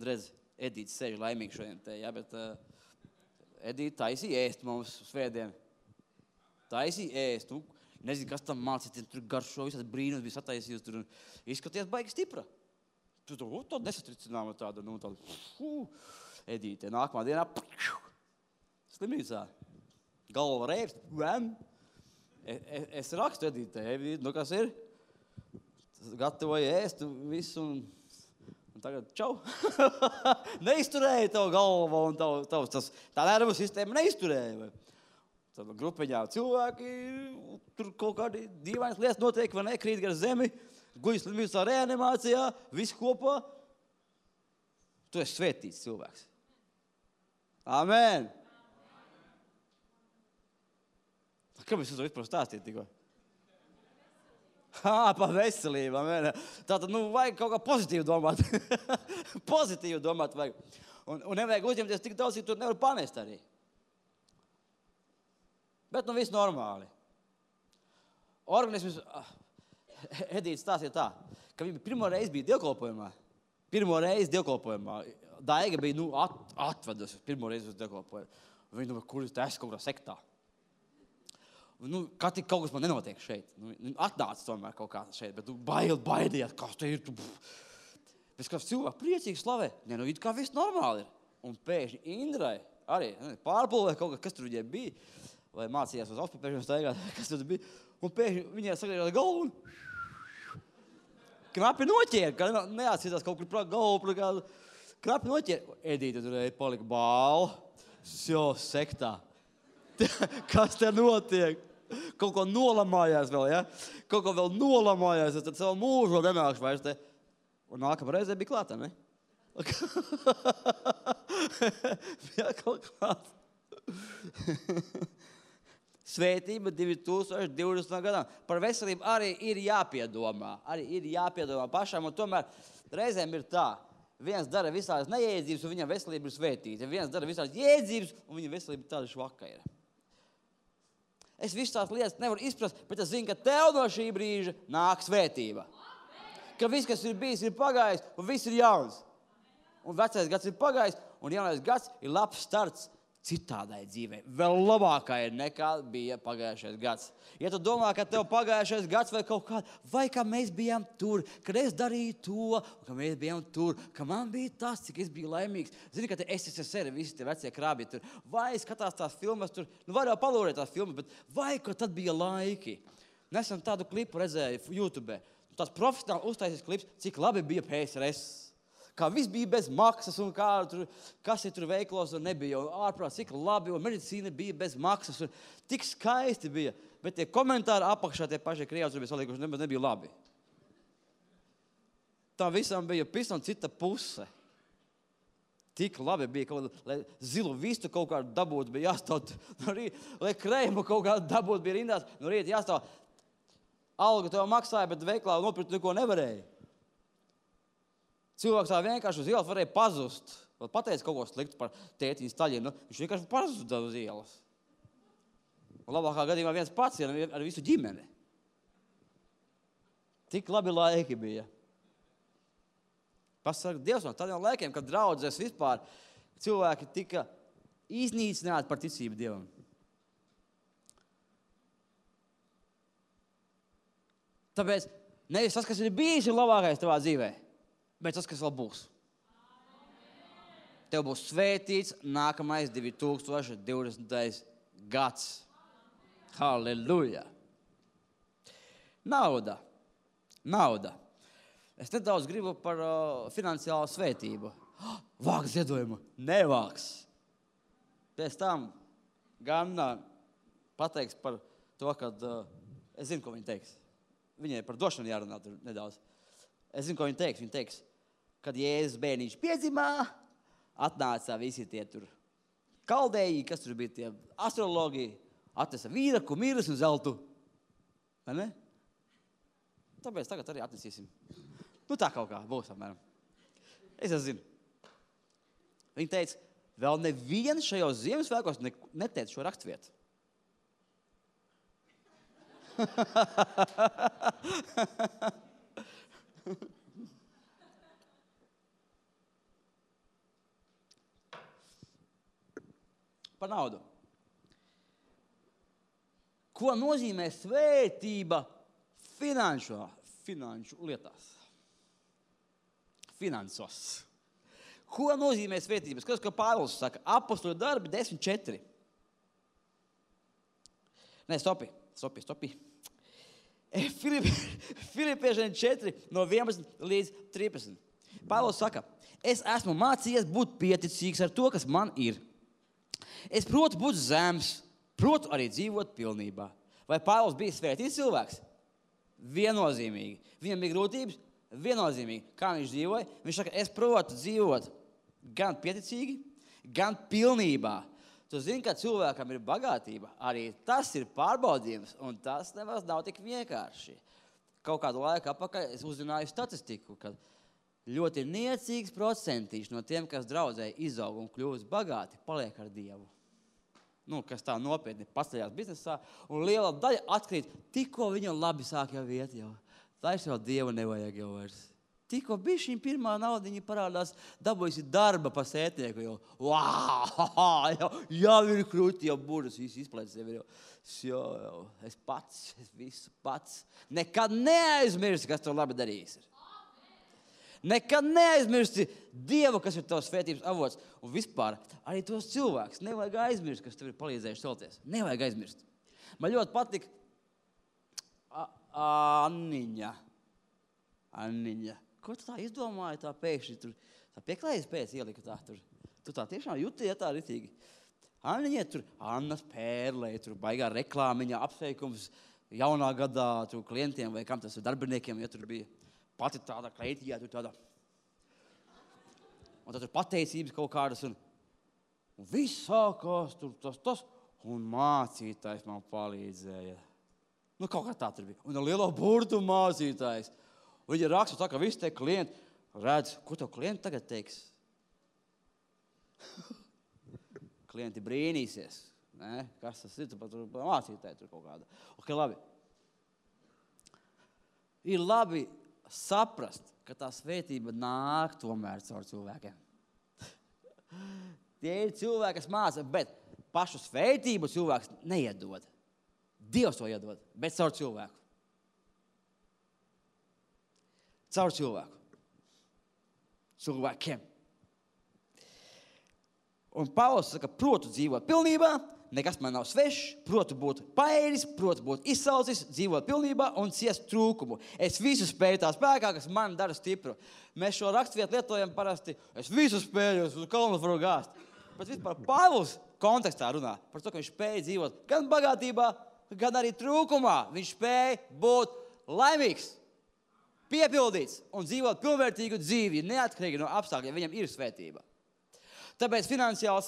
Redz, Edīte sēž laimīgi šodien te, ja? Bet Edīte taisīja ēst mums svētdien. Taisīja ēst. Nezinu, kas tam mācīt, tur garšo, visādi brīnums bija sataisījis tur. Izskaties baigi stipra. Tu tādu nesatricinām tādu, Edīte. Nākamā dienā slimnīcā. Galva reibst. Es rakstu Edīte. Kas ir? Gatavoju ēst visu un tagad čau. Neizturēja tavu galvu un tā nervu sistēma neizturēja. Tad grupiņā cilvēki, tur kaut kādi dīvainas lietas notiek, vai ne, krīt gar zemi, guļas slimnīcā reanimācijā, visi kopā. Tu esi svētīts cilvēks. Amen. Kāpēc es to vispār stāstīju tikko? Par veselību, amen. Tātad, vajag kaut kā pozitīvi domāt. Pozitīvi domāt vajag. Un nevajag uzņemties tik daudz, ka tu nevar panest arī. Bet, viss normāli. Organisms, Edīte stāstīja tā, ka viņa pirmo reizi bija dievkalpojumā. Daiga bija, atvedusi pirmo reizi uz dievkalpojumu. Viņa, kur es esmu kaut kādā sektā. Kā tik kaut kas man nenotiek šeit. Atnāca tomēr kaut kā šeit, bet baidījāt, kas te ir. Pēc kāds cilvēks priecīgi slavē. It kā viss normāli ir. Un pēkšņi Indrai arī pārpulvē kaut kas tur viņai bija. Vai mācījās uz auspapēšanu staigāt, kas tur bija. Un pēkšņi viņai sagriežās galvu un knapi noķēra, ka neatcītās kaut kur galvu. Knapi noķēra. Edīte tur palika bāla. Sektā. Kas te notiek? Kaut ko nolamājās vēl, ja? Kaut ko vēl nolamājās, tad savu mūžu nenākšu vairs te. Un nākamā reizē bija klāta, ne? Jā, kaut klāt. Svētība 2020. gadā. Par veselību arī ir jāpiedomā. Pašam, un tomēr reizēm ir tā. Viens dara visādas neiedzības, un viņam veselība ir svētīta. Viens dara visādas iedzības, un viņa veselība tāda švaka ir. Es visu tās lietas nevaru izprast, bet es zinu, ka tev no šī brīža nāk svētība. Ka viss, kas ir bijis, ir pagājis, un viss ir jauns. Un vecais gads ir pagājis, un jaunais gads ir labs starts citādai dzīvei. Vēl labākai nekā bija pagājušais gads. Ja tu domā, ka tev pagājušais gads vai kaut kā, vai kā mēs bijām tur, kad es darīju to, ka mēs bijām tur, ka man bija tas, cik es biju laimīgs. Zini, ka te SSSR, visi tie vecie krābji tur, vai skatās tās filmas tur, var jau palūrēt tās filmas, bet vai, ka tad bija laiki. Nesen tādu klipu redzēju YouTube. Tās profesionāli uztaisīs klips, cik labi bija PSRS. Kā viss bija bez maksas un kas ir tur veiklos un nebija. Un ārprāt, cik labi, un medicīna bija bez maksas. Un tik skaisti bija. Bet tie komentāri apakšā tie paši Krievs bija salikuši, nebija labi. Tā visam bija pisam cita puse. Tik labi bija, lai zilu vistu kaut kādu dabūt bija jāstāv. Lai krējumu kaut kādu dabūt bija rindās. No rīta jāstāv. Algu tev maksāja, bet veiklā nopirkt neko nevarēja. Cilvēks tā vienkārši uz ielas varēja pazust. Vēl pateica kaut ko sliktu par tētiņu staļinu. Viņš vienkārši pazuda uz ielas. Un labākā gadījumā viens pats ar visu ģimeni. Tik labi laiki bija. Pasaka Dievs no tādiem laikiem, kad draudzēs vispār cilvēki tika iznīcināti par ticību Dievam. Tāpēc nevis tas, kas ir bijis, ir labākais tavā dzīvē. Bet tas, kas vēl būs. Tev būs svētīts nākamais 2020. gads. Halleluja! Nauda. Es nedaudz gribu par finansiālu svētību. Vāks ziedojumu. Nevāks. Pēc tam gan pateiks par to, kad es zinu, ko viņi teiks. Viņai par došanu jārunā tur nedaudz. Es zinu, ko viņi teiks. Viņi teiks, kad Jēzus bērniņš piedzimā, atnāca visi tie tur kaldēji, kas tur bija tie astrologi, atnesa vīraku, mirus un zeltu. Vai ne? Tāpēc tagad arī atnesīsim. Nu tā kaut kā būs, apmēram. Es zinu. Viņi teica, vēl neviens šajos Ziemassvētkos neteica šo rakstvietu. Par naudu. Ko nozīmē svētība finanšu lietās? Finansos. Ko nozīmē svētība? Skaties, ko Pāvils saka. Apostoļu darbi 10.4. Nē, stopi. Filipiešiem 4 no 11 līdz 13. Pāvils saka, es esmu mācījies būt pieticīgs ar to, kas man ir. Es protu būt zems, protu arī dzīvot pilnībā. Vai Pāvils bija svētīts cilvēks? Viennozīmīgi. Viņam bija grūtības? Viennozīmīgi. Kā viņš dzīvoja? Viņš saka, es protu dzīvot gan pieticīgi, gan pilnībā. Tu zini, ka cilvēkam ir bagātība. Arī tas ir pārbaudījums, un tas nemaz nav tik vienkārši. Kaut kādu laiku apakaļ es uzzināju statistiku, ka ļoti niecīgs procentīši no tiem, kas draudzē izaug un kļūst bagāti, paliek ar Dievu. Nu, kas tā nopietni paceļās biznesā, un liela daļa atkrīt, tikko viņam labi sāk jau iet jau. Tā jau Dievu nevajag jau vairs. Tikko bišķiņ pirmā naudiņa parādās, dabūjusi darba pa sētnieku jau. Jau ir krūti, jau burdas, viss izplēc sevi jau. Jau, es visu pats. Nekad neaizmirsti, kas tev labi darījis ir. Nekad neaizmirsti Dievu, kas ir tavs svētības avots. Un vispār arī tos cilvēks nevajag aizmirst, kas tev ir palīdzējuši celties. Nevajag aizmirst. Man ļoti patika Anniņa. Ko tu tā izdomāji tā pēkšņi tur? Tā pieklājas pēc ielika tā tur. Tu tā tiešām jūtīja tā ritīgi. Anniņa tur, Annas Pērlē, tur baigā reklāmiņa, apsveikums jaunā gadā tur klientiem vai kam tas ir darbiniekiem, ja tur bija. Pati tāda kleitījā, tur tāda. Un tad tur pateicības kaut kādas, un viss sākās, tur tas, un mācītājs man palīdzēja. Nu, kaut kā tā tur bija. Un ar lielo burtu mācītājs. Viņa raksta tā, ka visi tie klienti redz, ko tev klienti tagad teiks? Klienti brīnīsies. Ne? Kas tas ir? Tur mācītāji tur kaut kāda. Ok, labi. Ir labi saprast, ka tā svētība nāk tomēr caur cilvēkiem. Tie ir cilvēki, kas māca, bet pašu svētību cilvēks neiedod. Dievs to iedod, bet caur cilvēku. Caur cilvēku. Cilvēkiem. Un Pāvils saka, protu dzīvot pilnībā, nekas man nav svešs, protu būt paēdis, protu būt izsalcis, dzīvot pilnībā un ciest trūkumu. Es visu spēju tā spēkā, kas man dara stipru. Mēs šo rakstvietu lietojam parasti, es visu spēju, uz kalnu varu gāzt. Bet vispār Pāvils kontekstā runā par to, ka viņš spēja dzīvot gan bagātībā, gan arī trūkumā. Viņš spēja būt laimīgs, piepildīts un dzīvot pilnvērtīgu dzīvi, neatkarīgi no apstākļiem. Viņam ir svētība. Tāpēc finansiāla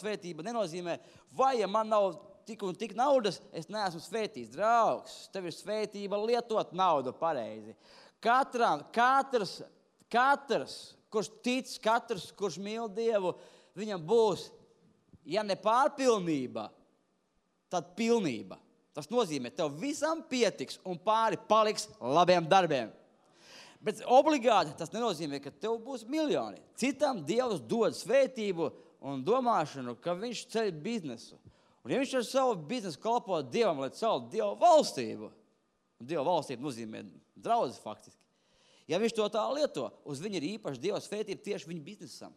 svētība nenozīmē, vai ja man nav tik un tik naudas, es neesmu svētīts. Draugs, tev ir svētība lietot naudu pareizi. Katrs, kurš tic, katrs, kurš mīl Dievu, viņam būs, ja ne pārpilnība, tad pilnība. Tas nozīmē, tev visam pietiks un pāri paliks labiem darbiem. Bet obligāti tas nenozīmē, ka tev būs miljoni. Citam Dievs dod svētību un domāšanu, ka viņš ceļ biznesu. Un ja viņš ar savu biznesu kalpo Dievam, lai celtu Dieva valstību, un Dieva valstība nozīmē draudzes faktiski, ja viņš to tā lieto, uz viņu ir īpaši Dieva svētība tieši viņa biznesam.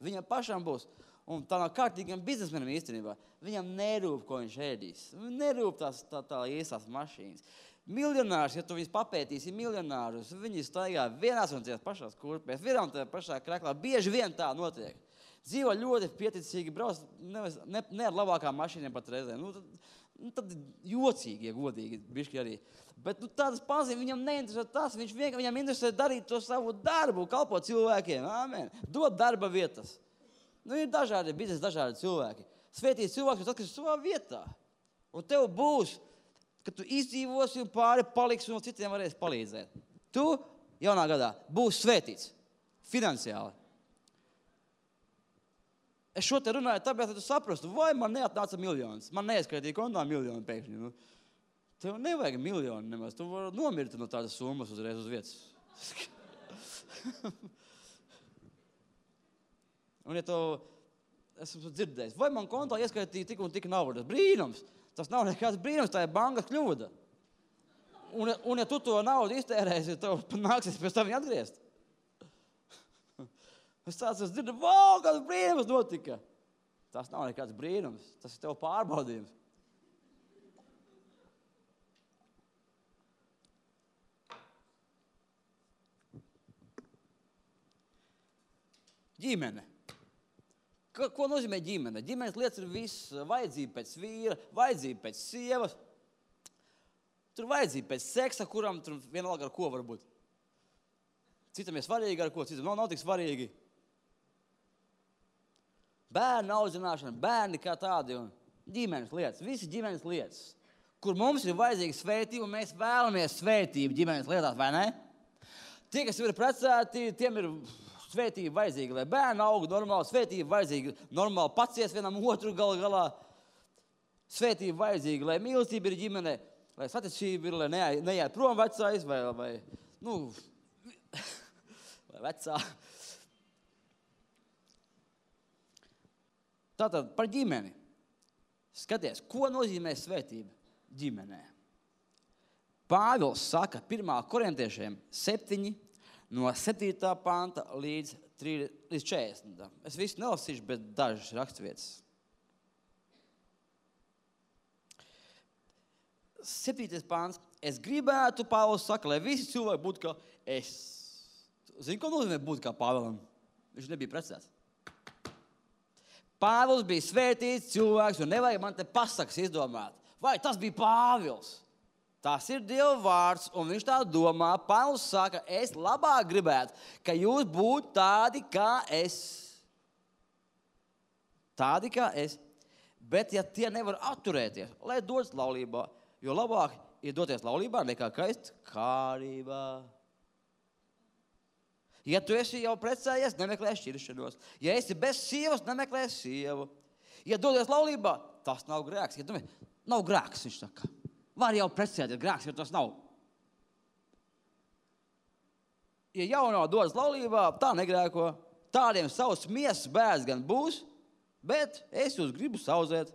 Viņam pašam būs, un tā nav kārtīgam biznesmenam īstenībā, viņam nerūp, ko viņš ēdīs. Nerūp tā īsās mašīnas. Miljonārs, ja tu viņus papētīsi, miljonārus, viņi staigā vienās un tās pašās kurpēs, vienā un tajā pašā kraklā. Bieži vien tā notiek. Dzīvo ļoti pieticīgi, brauc ne ar labākām mašīnām pat reizēm. Tad jocīgi, ja godīgi, bišķi arī. Bet tādas pazīmes viņam neinteresē tas, viņam interesē darīt to savu darbu, kalpot cilvēkiem. Amen. Dot darba vietas. Ir dažādi biznesi, dažādi cilvēki. Svētīts cilvēks, tas, kas ir savā vietā. Un tev būs, ka tu izdzīvosi un pāri paliksi un citiem varēsi palīdzēt. Tu jaunā gadā būsi svētīts finansiāli. Es šo te runāju tāpēc, lai tu saprastu, vai man neatnāca miljonas. Man neizskaitīja kontā miljonu pēkšņi. Tev nevajag miljonu nemaz. Tu vari nomirt no tādas summas uzreiz uz vietas. Un ja tu esmu dzirdējis, vai man kontā ieskaitīja tik un tik naudas? Brīnums! Tas nav nekāds brīnums, tā ir bankas kļūda. Un ja tu to naudu iztērēsi, tev nāksies pēc tam viņu atgriezt. Es dzirdu, wow, kāds brīnums notika. Tas nav nekāds brīnums, tas ir tev pārbaudījums. Ģimene. Ko nozīmē ģimene? Ģimenes lietas ir viss. Vajadzība pēc vīra, vajadzība pēc sievas. Tur vajadzība pēc seksa, kuram tur vienalga ar ko var būt. Citam ir svarīgi ar ko, citam nav tik svarīgi. Bērnu audzināšana, bērni kā tādi un ģimenes lietas. Visi ģimenes lietas, kur mums ir vajadzīga svētība, un mēs vēlamies svētību ģimenes lietās, vai ne? Tie, kas ir precēti, tiem ir svētība vajadzīga, lai bērni aug normāli, svētība vajadzīga, normāli paciest vienam otru galā. Svētība vajadzīga, lai mīlestība ir ģimene, lai saticība ir, lai neiet prom vecais vai vecā. Tātad par ģimeni. Skaties, ko nozīmē svētība ģimenē? Pāvils saka 1. korintiešiem 7, no 7. panta līdz 40. Es visu nelasīšu, bet dažas rakstvietas. 7. pants. Es gribētu, Pāvils saka, lai visi cilvēki būtu kā es. Zini, ko nozīmē būt kā Pāvilam? Viņš nebija precēts. Pāvils bija svētīts cilvēks, un nevajag man te pasakas izdomāt. Vai tas bija Pāvils? Tas ir Dieva vārds, un viņš tā domā. Pāvils saka, es labāk gribētu, ka jūs būtu tādi kā es. Tādi kā es. Bet ja tie nevar atturēties, lai dodas laulībā, jo labāk ir doties laulībā nekā kaist kārībā. Ja tu esi jau precējies, nemeklē šķiršanos. Ja esi bez sievas, nemeklē sievu. Ja dodies laulībā, tas nav grēks. Ja nav grēks, viņš saka. Var jau precēties grēks, jo tas nav. ja jaunā dodas laulībā, tā negrēko, tādiem savs miesas bērns gan būs, bet es jūs gribu saudzēt.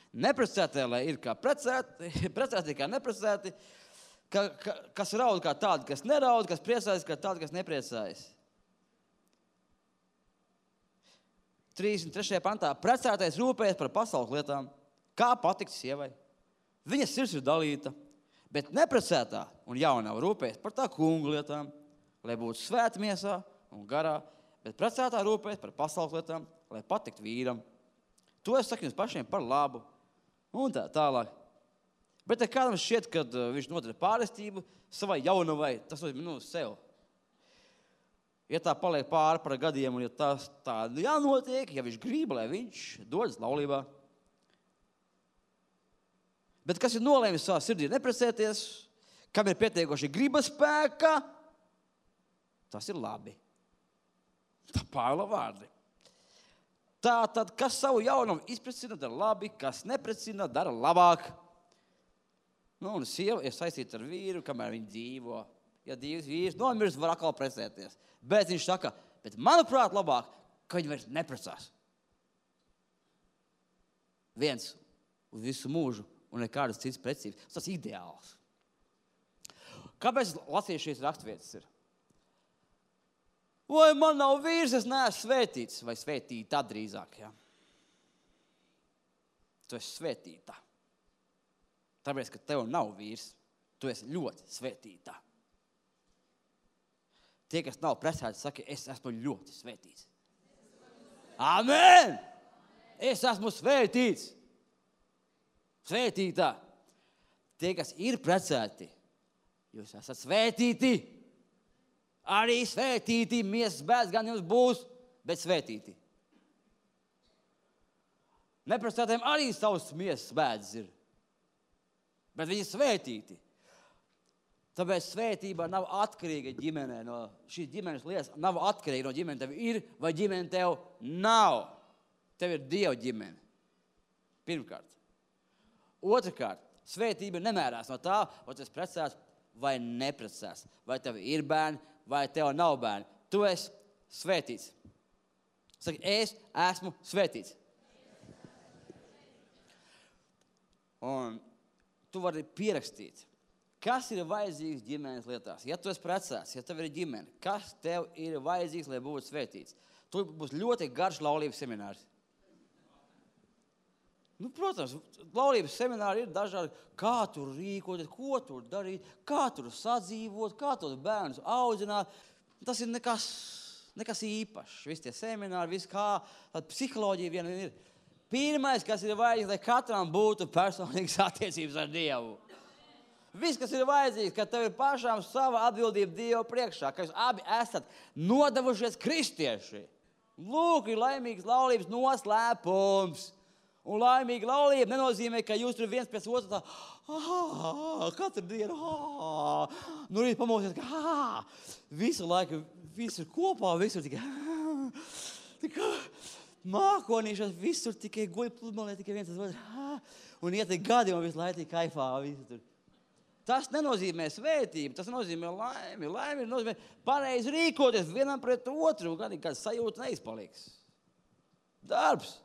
Neprecētie, lai ir kā precēti kā neprecēti, kas raud kā tādi, kas neraud, kas priecājas kā tādi, kas nepriecājas. 33. pantā. Precētais rūpējas par pasaules lietām, kā patikt sievai. Viņa sirds ir dalīta, bet neprecētā un jaunā rūpējas par tā kungu lietām, lai būtu svēta miesā un garā, bet precētā rūpējas par pasaules lietām, lai patikt vīram. To es saku jums pašiem par labu. Un tā tālāk. Bet ja kādam šķiet, kad viņš nodara pārestību savai jaunavai, tas nozīmē, sev. Ja tā paliek pāri par gadiem, un ja tas tā jānotiek, ja viņš grib, lai viņš dodas laulībā. Bet kas ir nolēmis savā sirdī neprecēties, kam ir pietiekoši gribas spēka, tas ir labi. Tā Pāvila vārdi. Tātad, kas savu jaunumu izprecina, dara labi, kas neprecina, dara labāk. Un sieva ir saistīta ar vīru, kamēr viņi dzīvo. Ja vīrs nomirst, var atkal precēties. Bet viņš saka, bet manuprāt labāk, ka viņi vairs neprecās. Viens uz visu mūžu un nekādas citas precības. Tas ir ideāls. Kāpēc lasīju šīs rakstvietas ir? Vai man nav vīrs, es neesmu svētīts, vai svētīta drīzāk, ja? Tu esi svētīta. Tāpēc, ka tev nav vīrs, tu esi ļoti svētīta. Tie, kas nav precēti, saka, es esmu ļoti svētīts. Amen! Es esmu svētīts. Svētītā. Tie, kas ir precēti, jūs esat svētīti. Arī svētīti, miesas bērns gan jums būs, bet svētīti. Neprecētiem arī savs miesas bērns ir, bet viņi svētīti. Tāpēc svētība nav atkarīga ģimenē no šīs ģimenes lietas, nav atkarīga no ģimene tev ir vai ģimene tev nav. Tev ir Dieva ģimene. Pirmkārt. Otrakārt, svētība nemērās no tā, vai tu esi precēts vai neprecēts. Vai tev ir bērni, vai tev nav bērni. Tu esi svētīts. Saki, es esmu svētīts. Un tu vari pierakstīt, kas ir vajadzīgs ģimenes lietās. Ja tu esi precēts, ja tev ir ģimene, kas tev ir vajadzīgs, lai būtu svētīts? Tu būs ļoti garš laulības seminārs. Protams, laulības semināri ir dažādi, kā tur rīkoties, ko tur darīt, kā tur sadzīvot, kā tos bērnus audzināt. Tas ir nekas īpašs. Visi tie semināri, viss kā psiholoģija viena ir. Pirmais, kas ir vajadzīgs, lai katram būtu personīgas attiecības ar Dievu. Viss, kas ir vajadzīgs, ka tev ir pašām sava atbildība Dievu priekšā, ka jūs abi esat nodevušies kristieši. Lūk, ir laimīgs laulības noslēpums. Un laimīga laulība nenozīmē, ka jūs tur viens pēc otra katru dienu, rīt pamosies, visu laiku, viss ir kopā, visur tikai, mākonīšās, visur tikai goļi pludmalē, tikai viens tas otrs, un iet gadi un visu laiku kaifā, visu tur. Tas nenozīmē svētību, tas nozīmē laimi. Laimi nozīmē pareizi rīkoties vienam pret otru, un kāda sajūta neizpaliks. Darbs.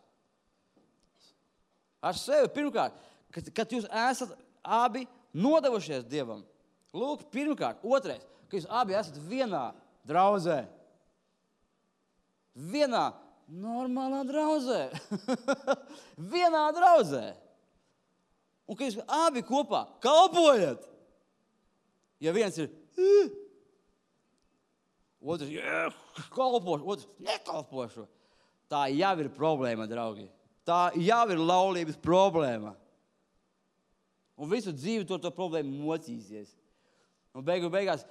Ar sevi pirmkārt, kad jūs esat abi nodevušies Dievam. Lūk, pirmkārt. Otrais, ka jūs abi esat vienā draudzē. Vienā normālā draudzē. Vienā draudzē. Un ka jūs abi kopā kalpojat. Ja viens ir otrs kalpošu, otrs nekalpošu. Tā jau ir problēma, draugi. Tā jau ir laulības problēma. Un visu dzīvi to problēmu mocīsies. Un beigās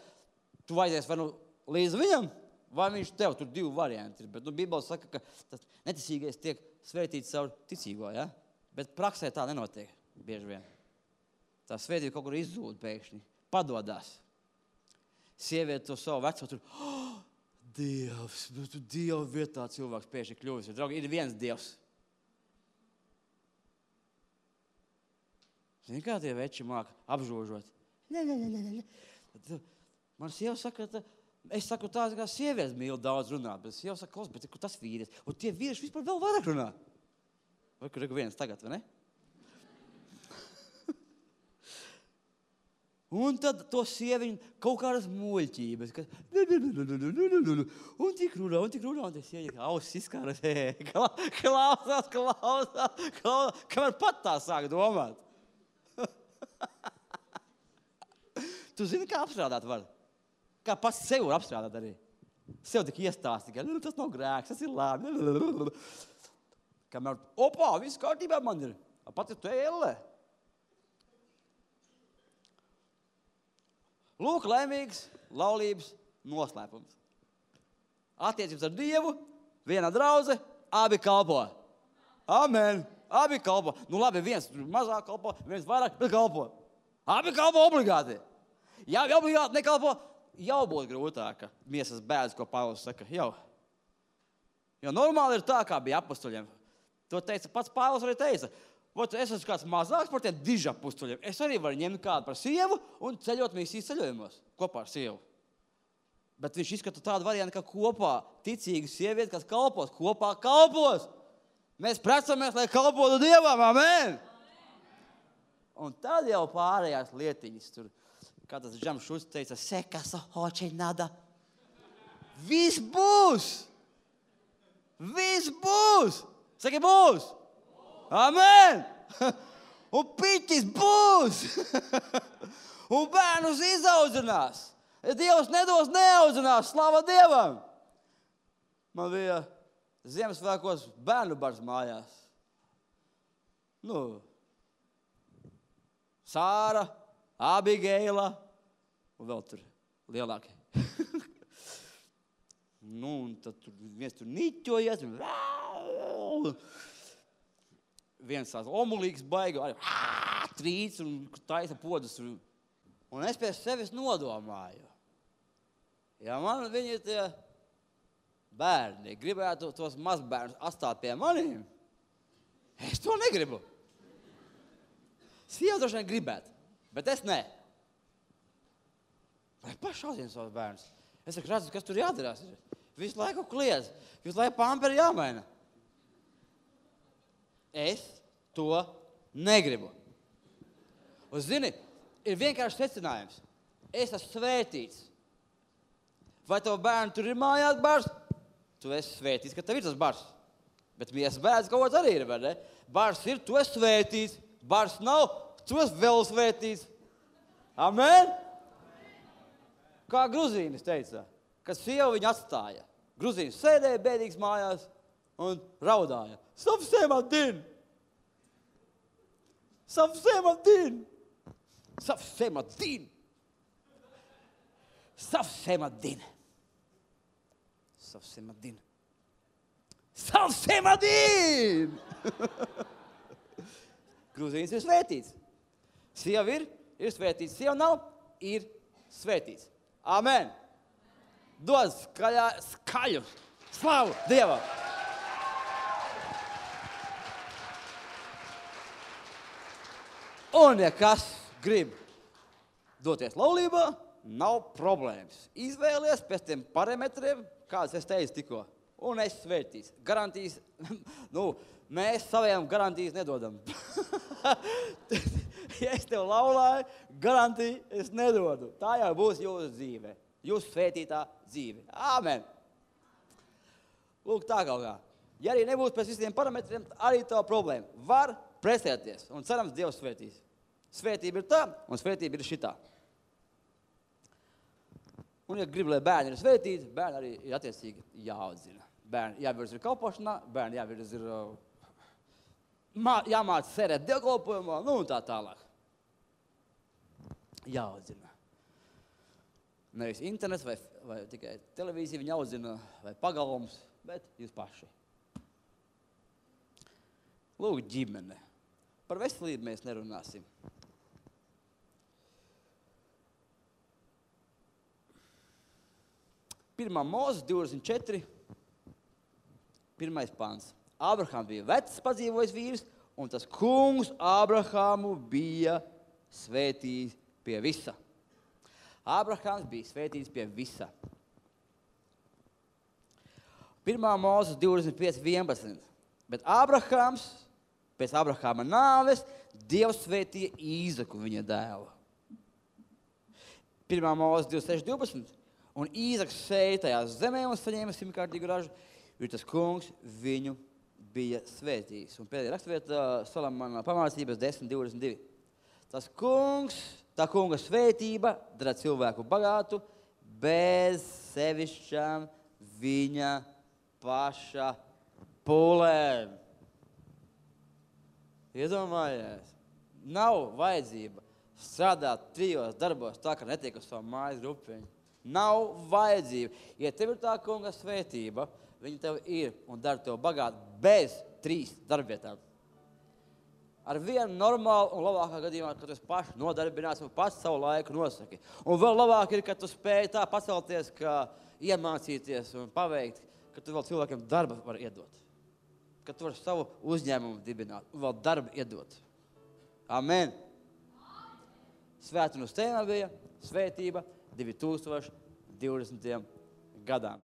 tu vajadzēs vai nu līdz viņam, vai viņš tev. Tur divi varianti ir. Bet Bībele saka, ka tas neticīgais tiek svētīts caur ticīgo, ja? Bet praksē tā nenotiek bieži vien. Tā svētība kaut kur izzūd pēkšņi. Padodās. Sieviete to savu veco tur, Dievs, tu Dieva vietā cilvēks pēkšņi kļuvis. Draugi, ir viens Dievs. Zini, kā tie veči māka apžožot? Man sieva saka, es saku tā, kā sievietes mīl daudz runāt, bet sieva saka, klaus, bet kur tas vīrietis? Un tie vīrieši vispār vēl vairāk runā. Vai kur ir viens tagad, vai ne? Un tad to sieviņu kaut kādas muļķības, ka un tik runā, un tas sieviņa ausis izkāras, klausās, kamēr pat tā sāk domāt. Tu zini, kā apstrādāt var? Kā pats sev var apstrādāt arī. Sev tik iestāsti, ka tas nav grēks, tas ir labi. Kamēr, viss kārtībā man ir. Pat ir tu ellē. Lūk, laimīgs laulības noslēpums. Attiecības ar Dievu, viena draudze, abi kalpo. Amen. Abi kalpo. Nu labi, viens mazāk kalpo, viens vairāk, bet kalpo. Abi kalpo obligāti. Ja obligāti nekalpo, jau būtu grūtāka miesas bēdas, ko Pāvils saka. Jau normāli ir tā, kā bija apustuļiem. To teica pats Pāvils arī teica. Es esmu kāds mazāks par tiem dižapustuļiem. Es arī varu ņemt kādu par sievu un ceļot misijas ceļojumos kopā ar sievu. Bet viņš izskata tādu variantu, ka kopā ticīga sieviete, kas kalpos, kopā kalpos. Mēs precamies, lai kalpotu Dievam. Amen! Un tad jau pārējās lietiņas tur, kā tas Džams Šulcs teica, sekas hoči nada. Viss būs! Viss būs! Saki, būs! Amen! Un piķis būs! Un bērnus izaudzinās! Dievs nedos neaudzinās, slava Dievam! Man bija Ziemassvētkos bērnu bars mājās. Sāra, Abigeila un vēl tur lielākie. Un tad viens tur niķojies. Viens tās omulīgs baigi, trīc un taisa podus. Un es pie sevis nodomāju. Ja man viņi tie bērni gribētu tos mazbērnus atstāt pie maniem, es to negribu. Sieva droši vien gribētu, bet es ne. Vai pašauzina savus bērnus? Es redzu, kas tur jādarās. Visu laiku kliedz, visu laiku pamperi jāmaina. Es to negribu. Un zini, ir vienkārši secinājums. Es esmu svētīts. Vai tavu bērnu tur ir mājās bars? Tu esi svētīts, ka tev ir tas bars. Bet miesas bērns kaut kāds arī ir, vai ne? Bars ir, tu esi svētīts. Bars nav, tu esi vēl svētīts. Amen? Kā gruzīnis teica, kad sieva viņu atstāja. Gruzīnis sēdēja bēdīgs mājās un raudāja. Safsēmadin! Safsēmadin! Safsēmadin! Safsēmadin! Safsēmadin! Safsēmadin! Gruzīnis ir svētīts. Sieva ir svētīts. Sieva nav, ir svētīts. Amen! Dod skaļu slavu Dievam! Un, ja kas grib doties laulībā, nav problēmas. Izvēlies pēc tiem parametriem, kādas es teicu tikko. Un es svētīts. Garantijas, mēs saviem garantijas nedodam. Ja es tev laulāju, garantiju es nedodu. Tā jau būs jūsu dzīve. Jūsu svētītā dzīve. Āmen. Lūk, tā kaut kā. Ja arī nebūs pēc visiem parametriem, arī tā problēma. Var presēties. Un cerams, Dievs svētīs. Svētība ir tā, un svētība ir šitā. Un, ja grib, lai bērni ir svētīti, bērni arī ir attiecīgi jāaudzina. Bērni jāvirz ir kalpošanā, bērni jāvirz ir jāmāc sērēt dievkalpojumā, un tā tālāk. Jāaudzina. Nevis internets vai tikai televīzija viņa audzina, vai pagalms, bet jūs paši. Lūk, ģimene. Par veselību mēs nerunāsim. Pirmā Mūzes 24, 1. pants. Ābrahams bija vecs padzīvojis vīrs, un tas kungs Ābrahamu bija svētījis pie visa. Ābrahāms bija svētīts pie visa. 1. Mūzes 25:11. Bet Ābrahāms, pēc Ābrahāma nāves, Dievs svētīja Īzaku, viņa dēlu. 1. Mūzes 26:12. Un Īzaks sēja tajā zemē un saņēma 100-kārtīgu ražu, jo tas kungs viņu bija svētījis. Un pēdējā rakstvieta Salamana pamācības 10:22. Tā kunga svētība dara cilvēku bagātu bez sevišķām viņa paša pūlēm. Iedomājies, nav vajadzība strādāt 3 darbos tā, ka netiek uz savu mājas grupiņu. Nav vajadzība. Ja tev ir tā kunga svētība, viņa tev ir un dara tev bagātu bez 3 darbvietām. Ar vienu normālu un labākā gadījumā, ka tu esi paši nodarbināts un pats savu laiku nosaki. Un vēl labāk ir, ka tu spēj tā pacelties, ka iemācīties un paveikt, ka tu vēl cilvēkiem darba var iedot. Ka tu vari savu uzņēmumu dibināt un vēl darbu iedot. Amen. Svētdienas tēma bija svētība 2020. gadām.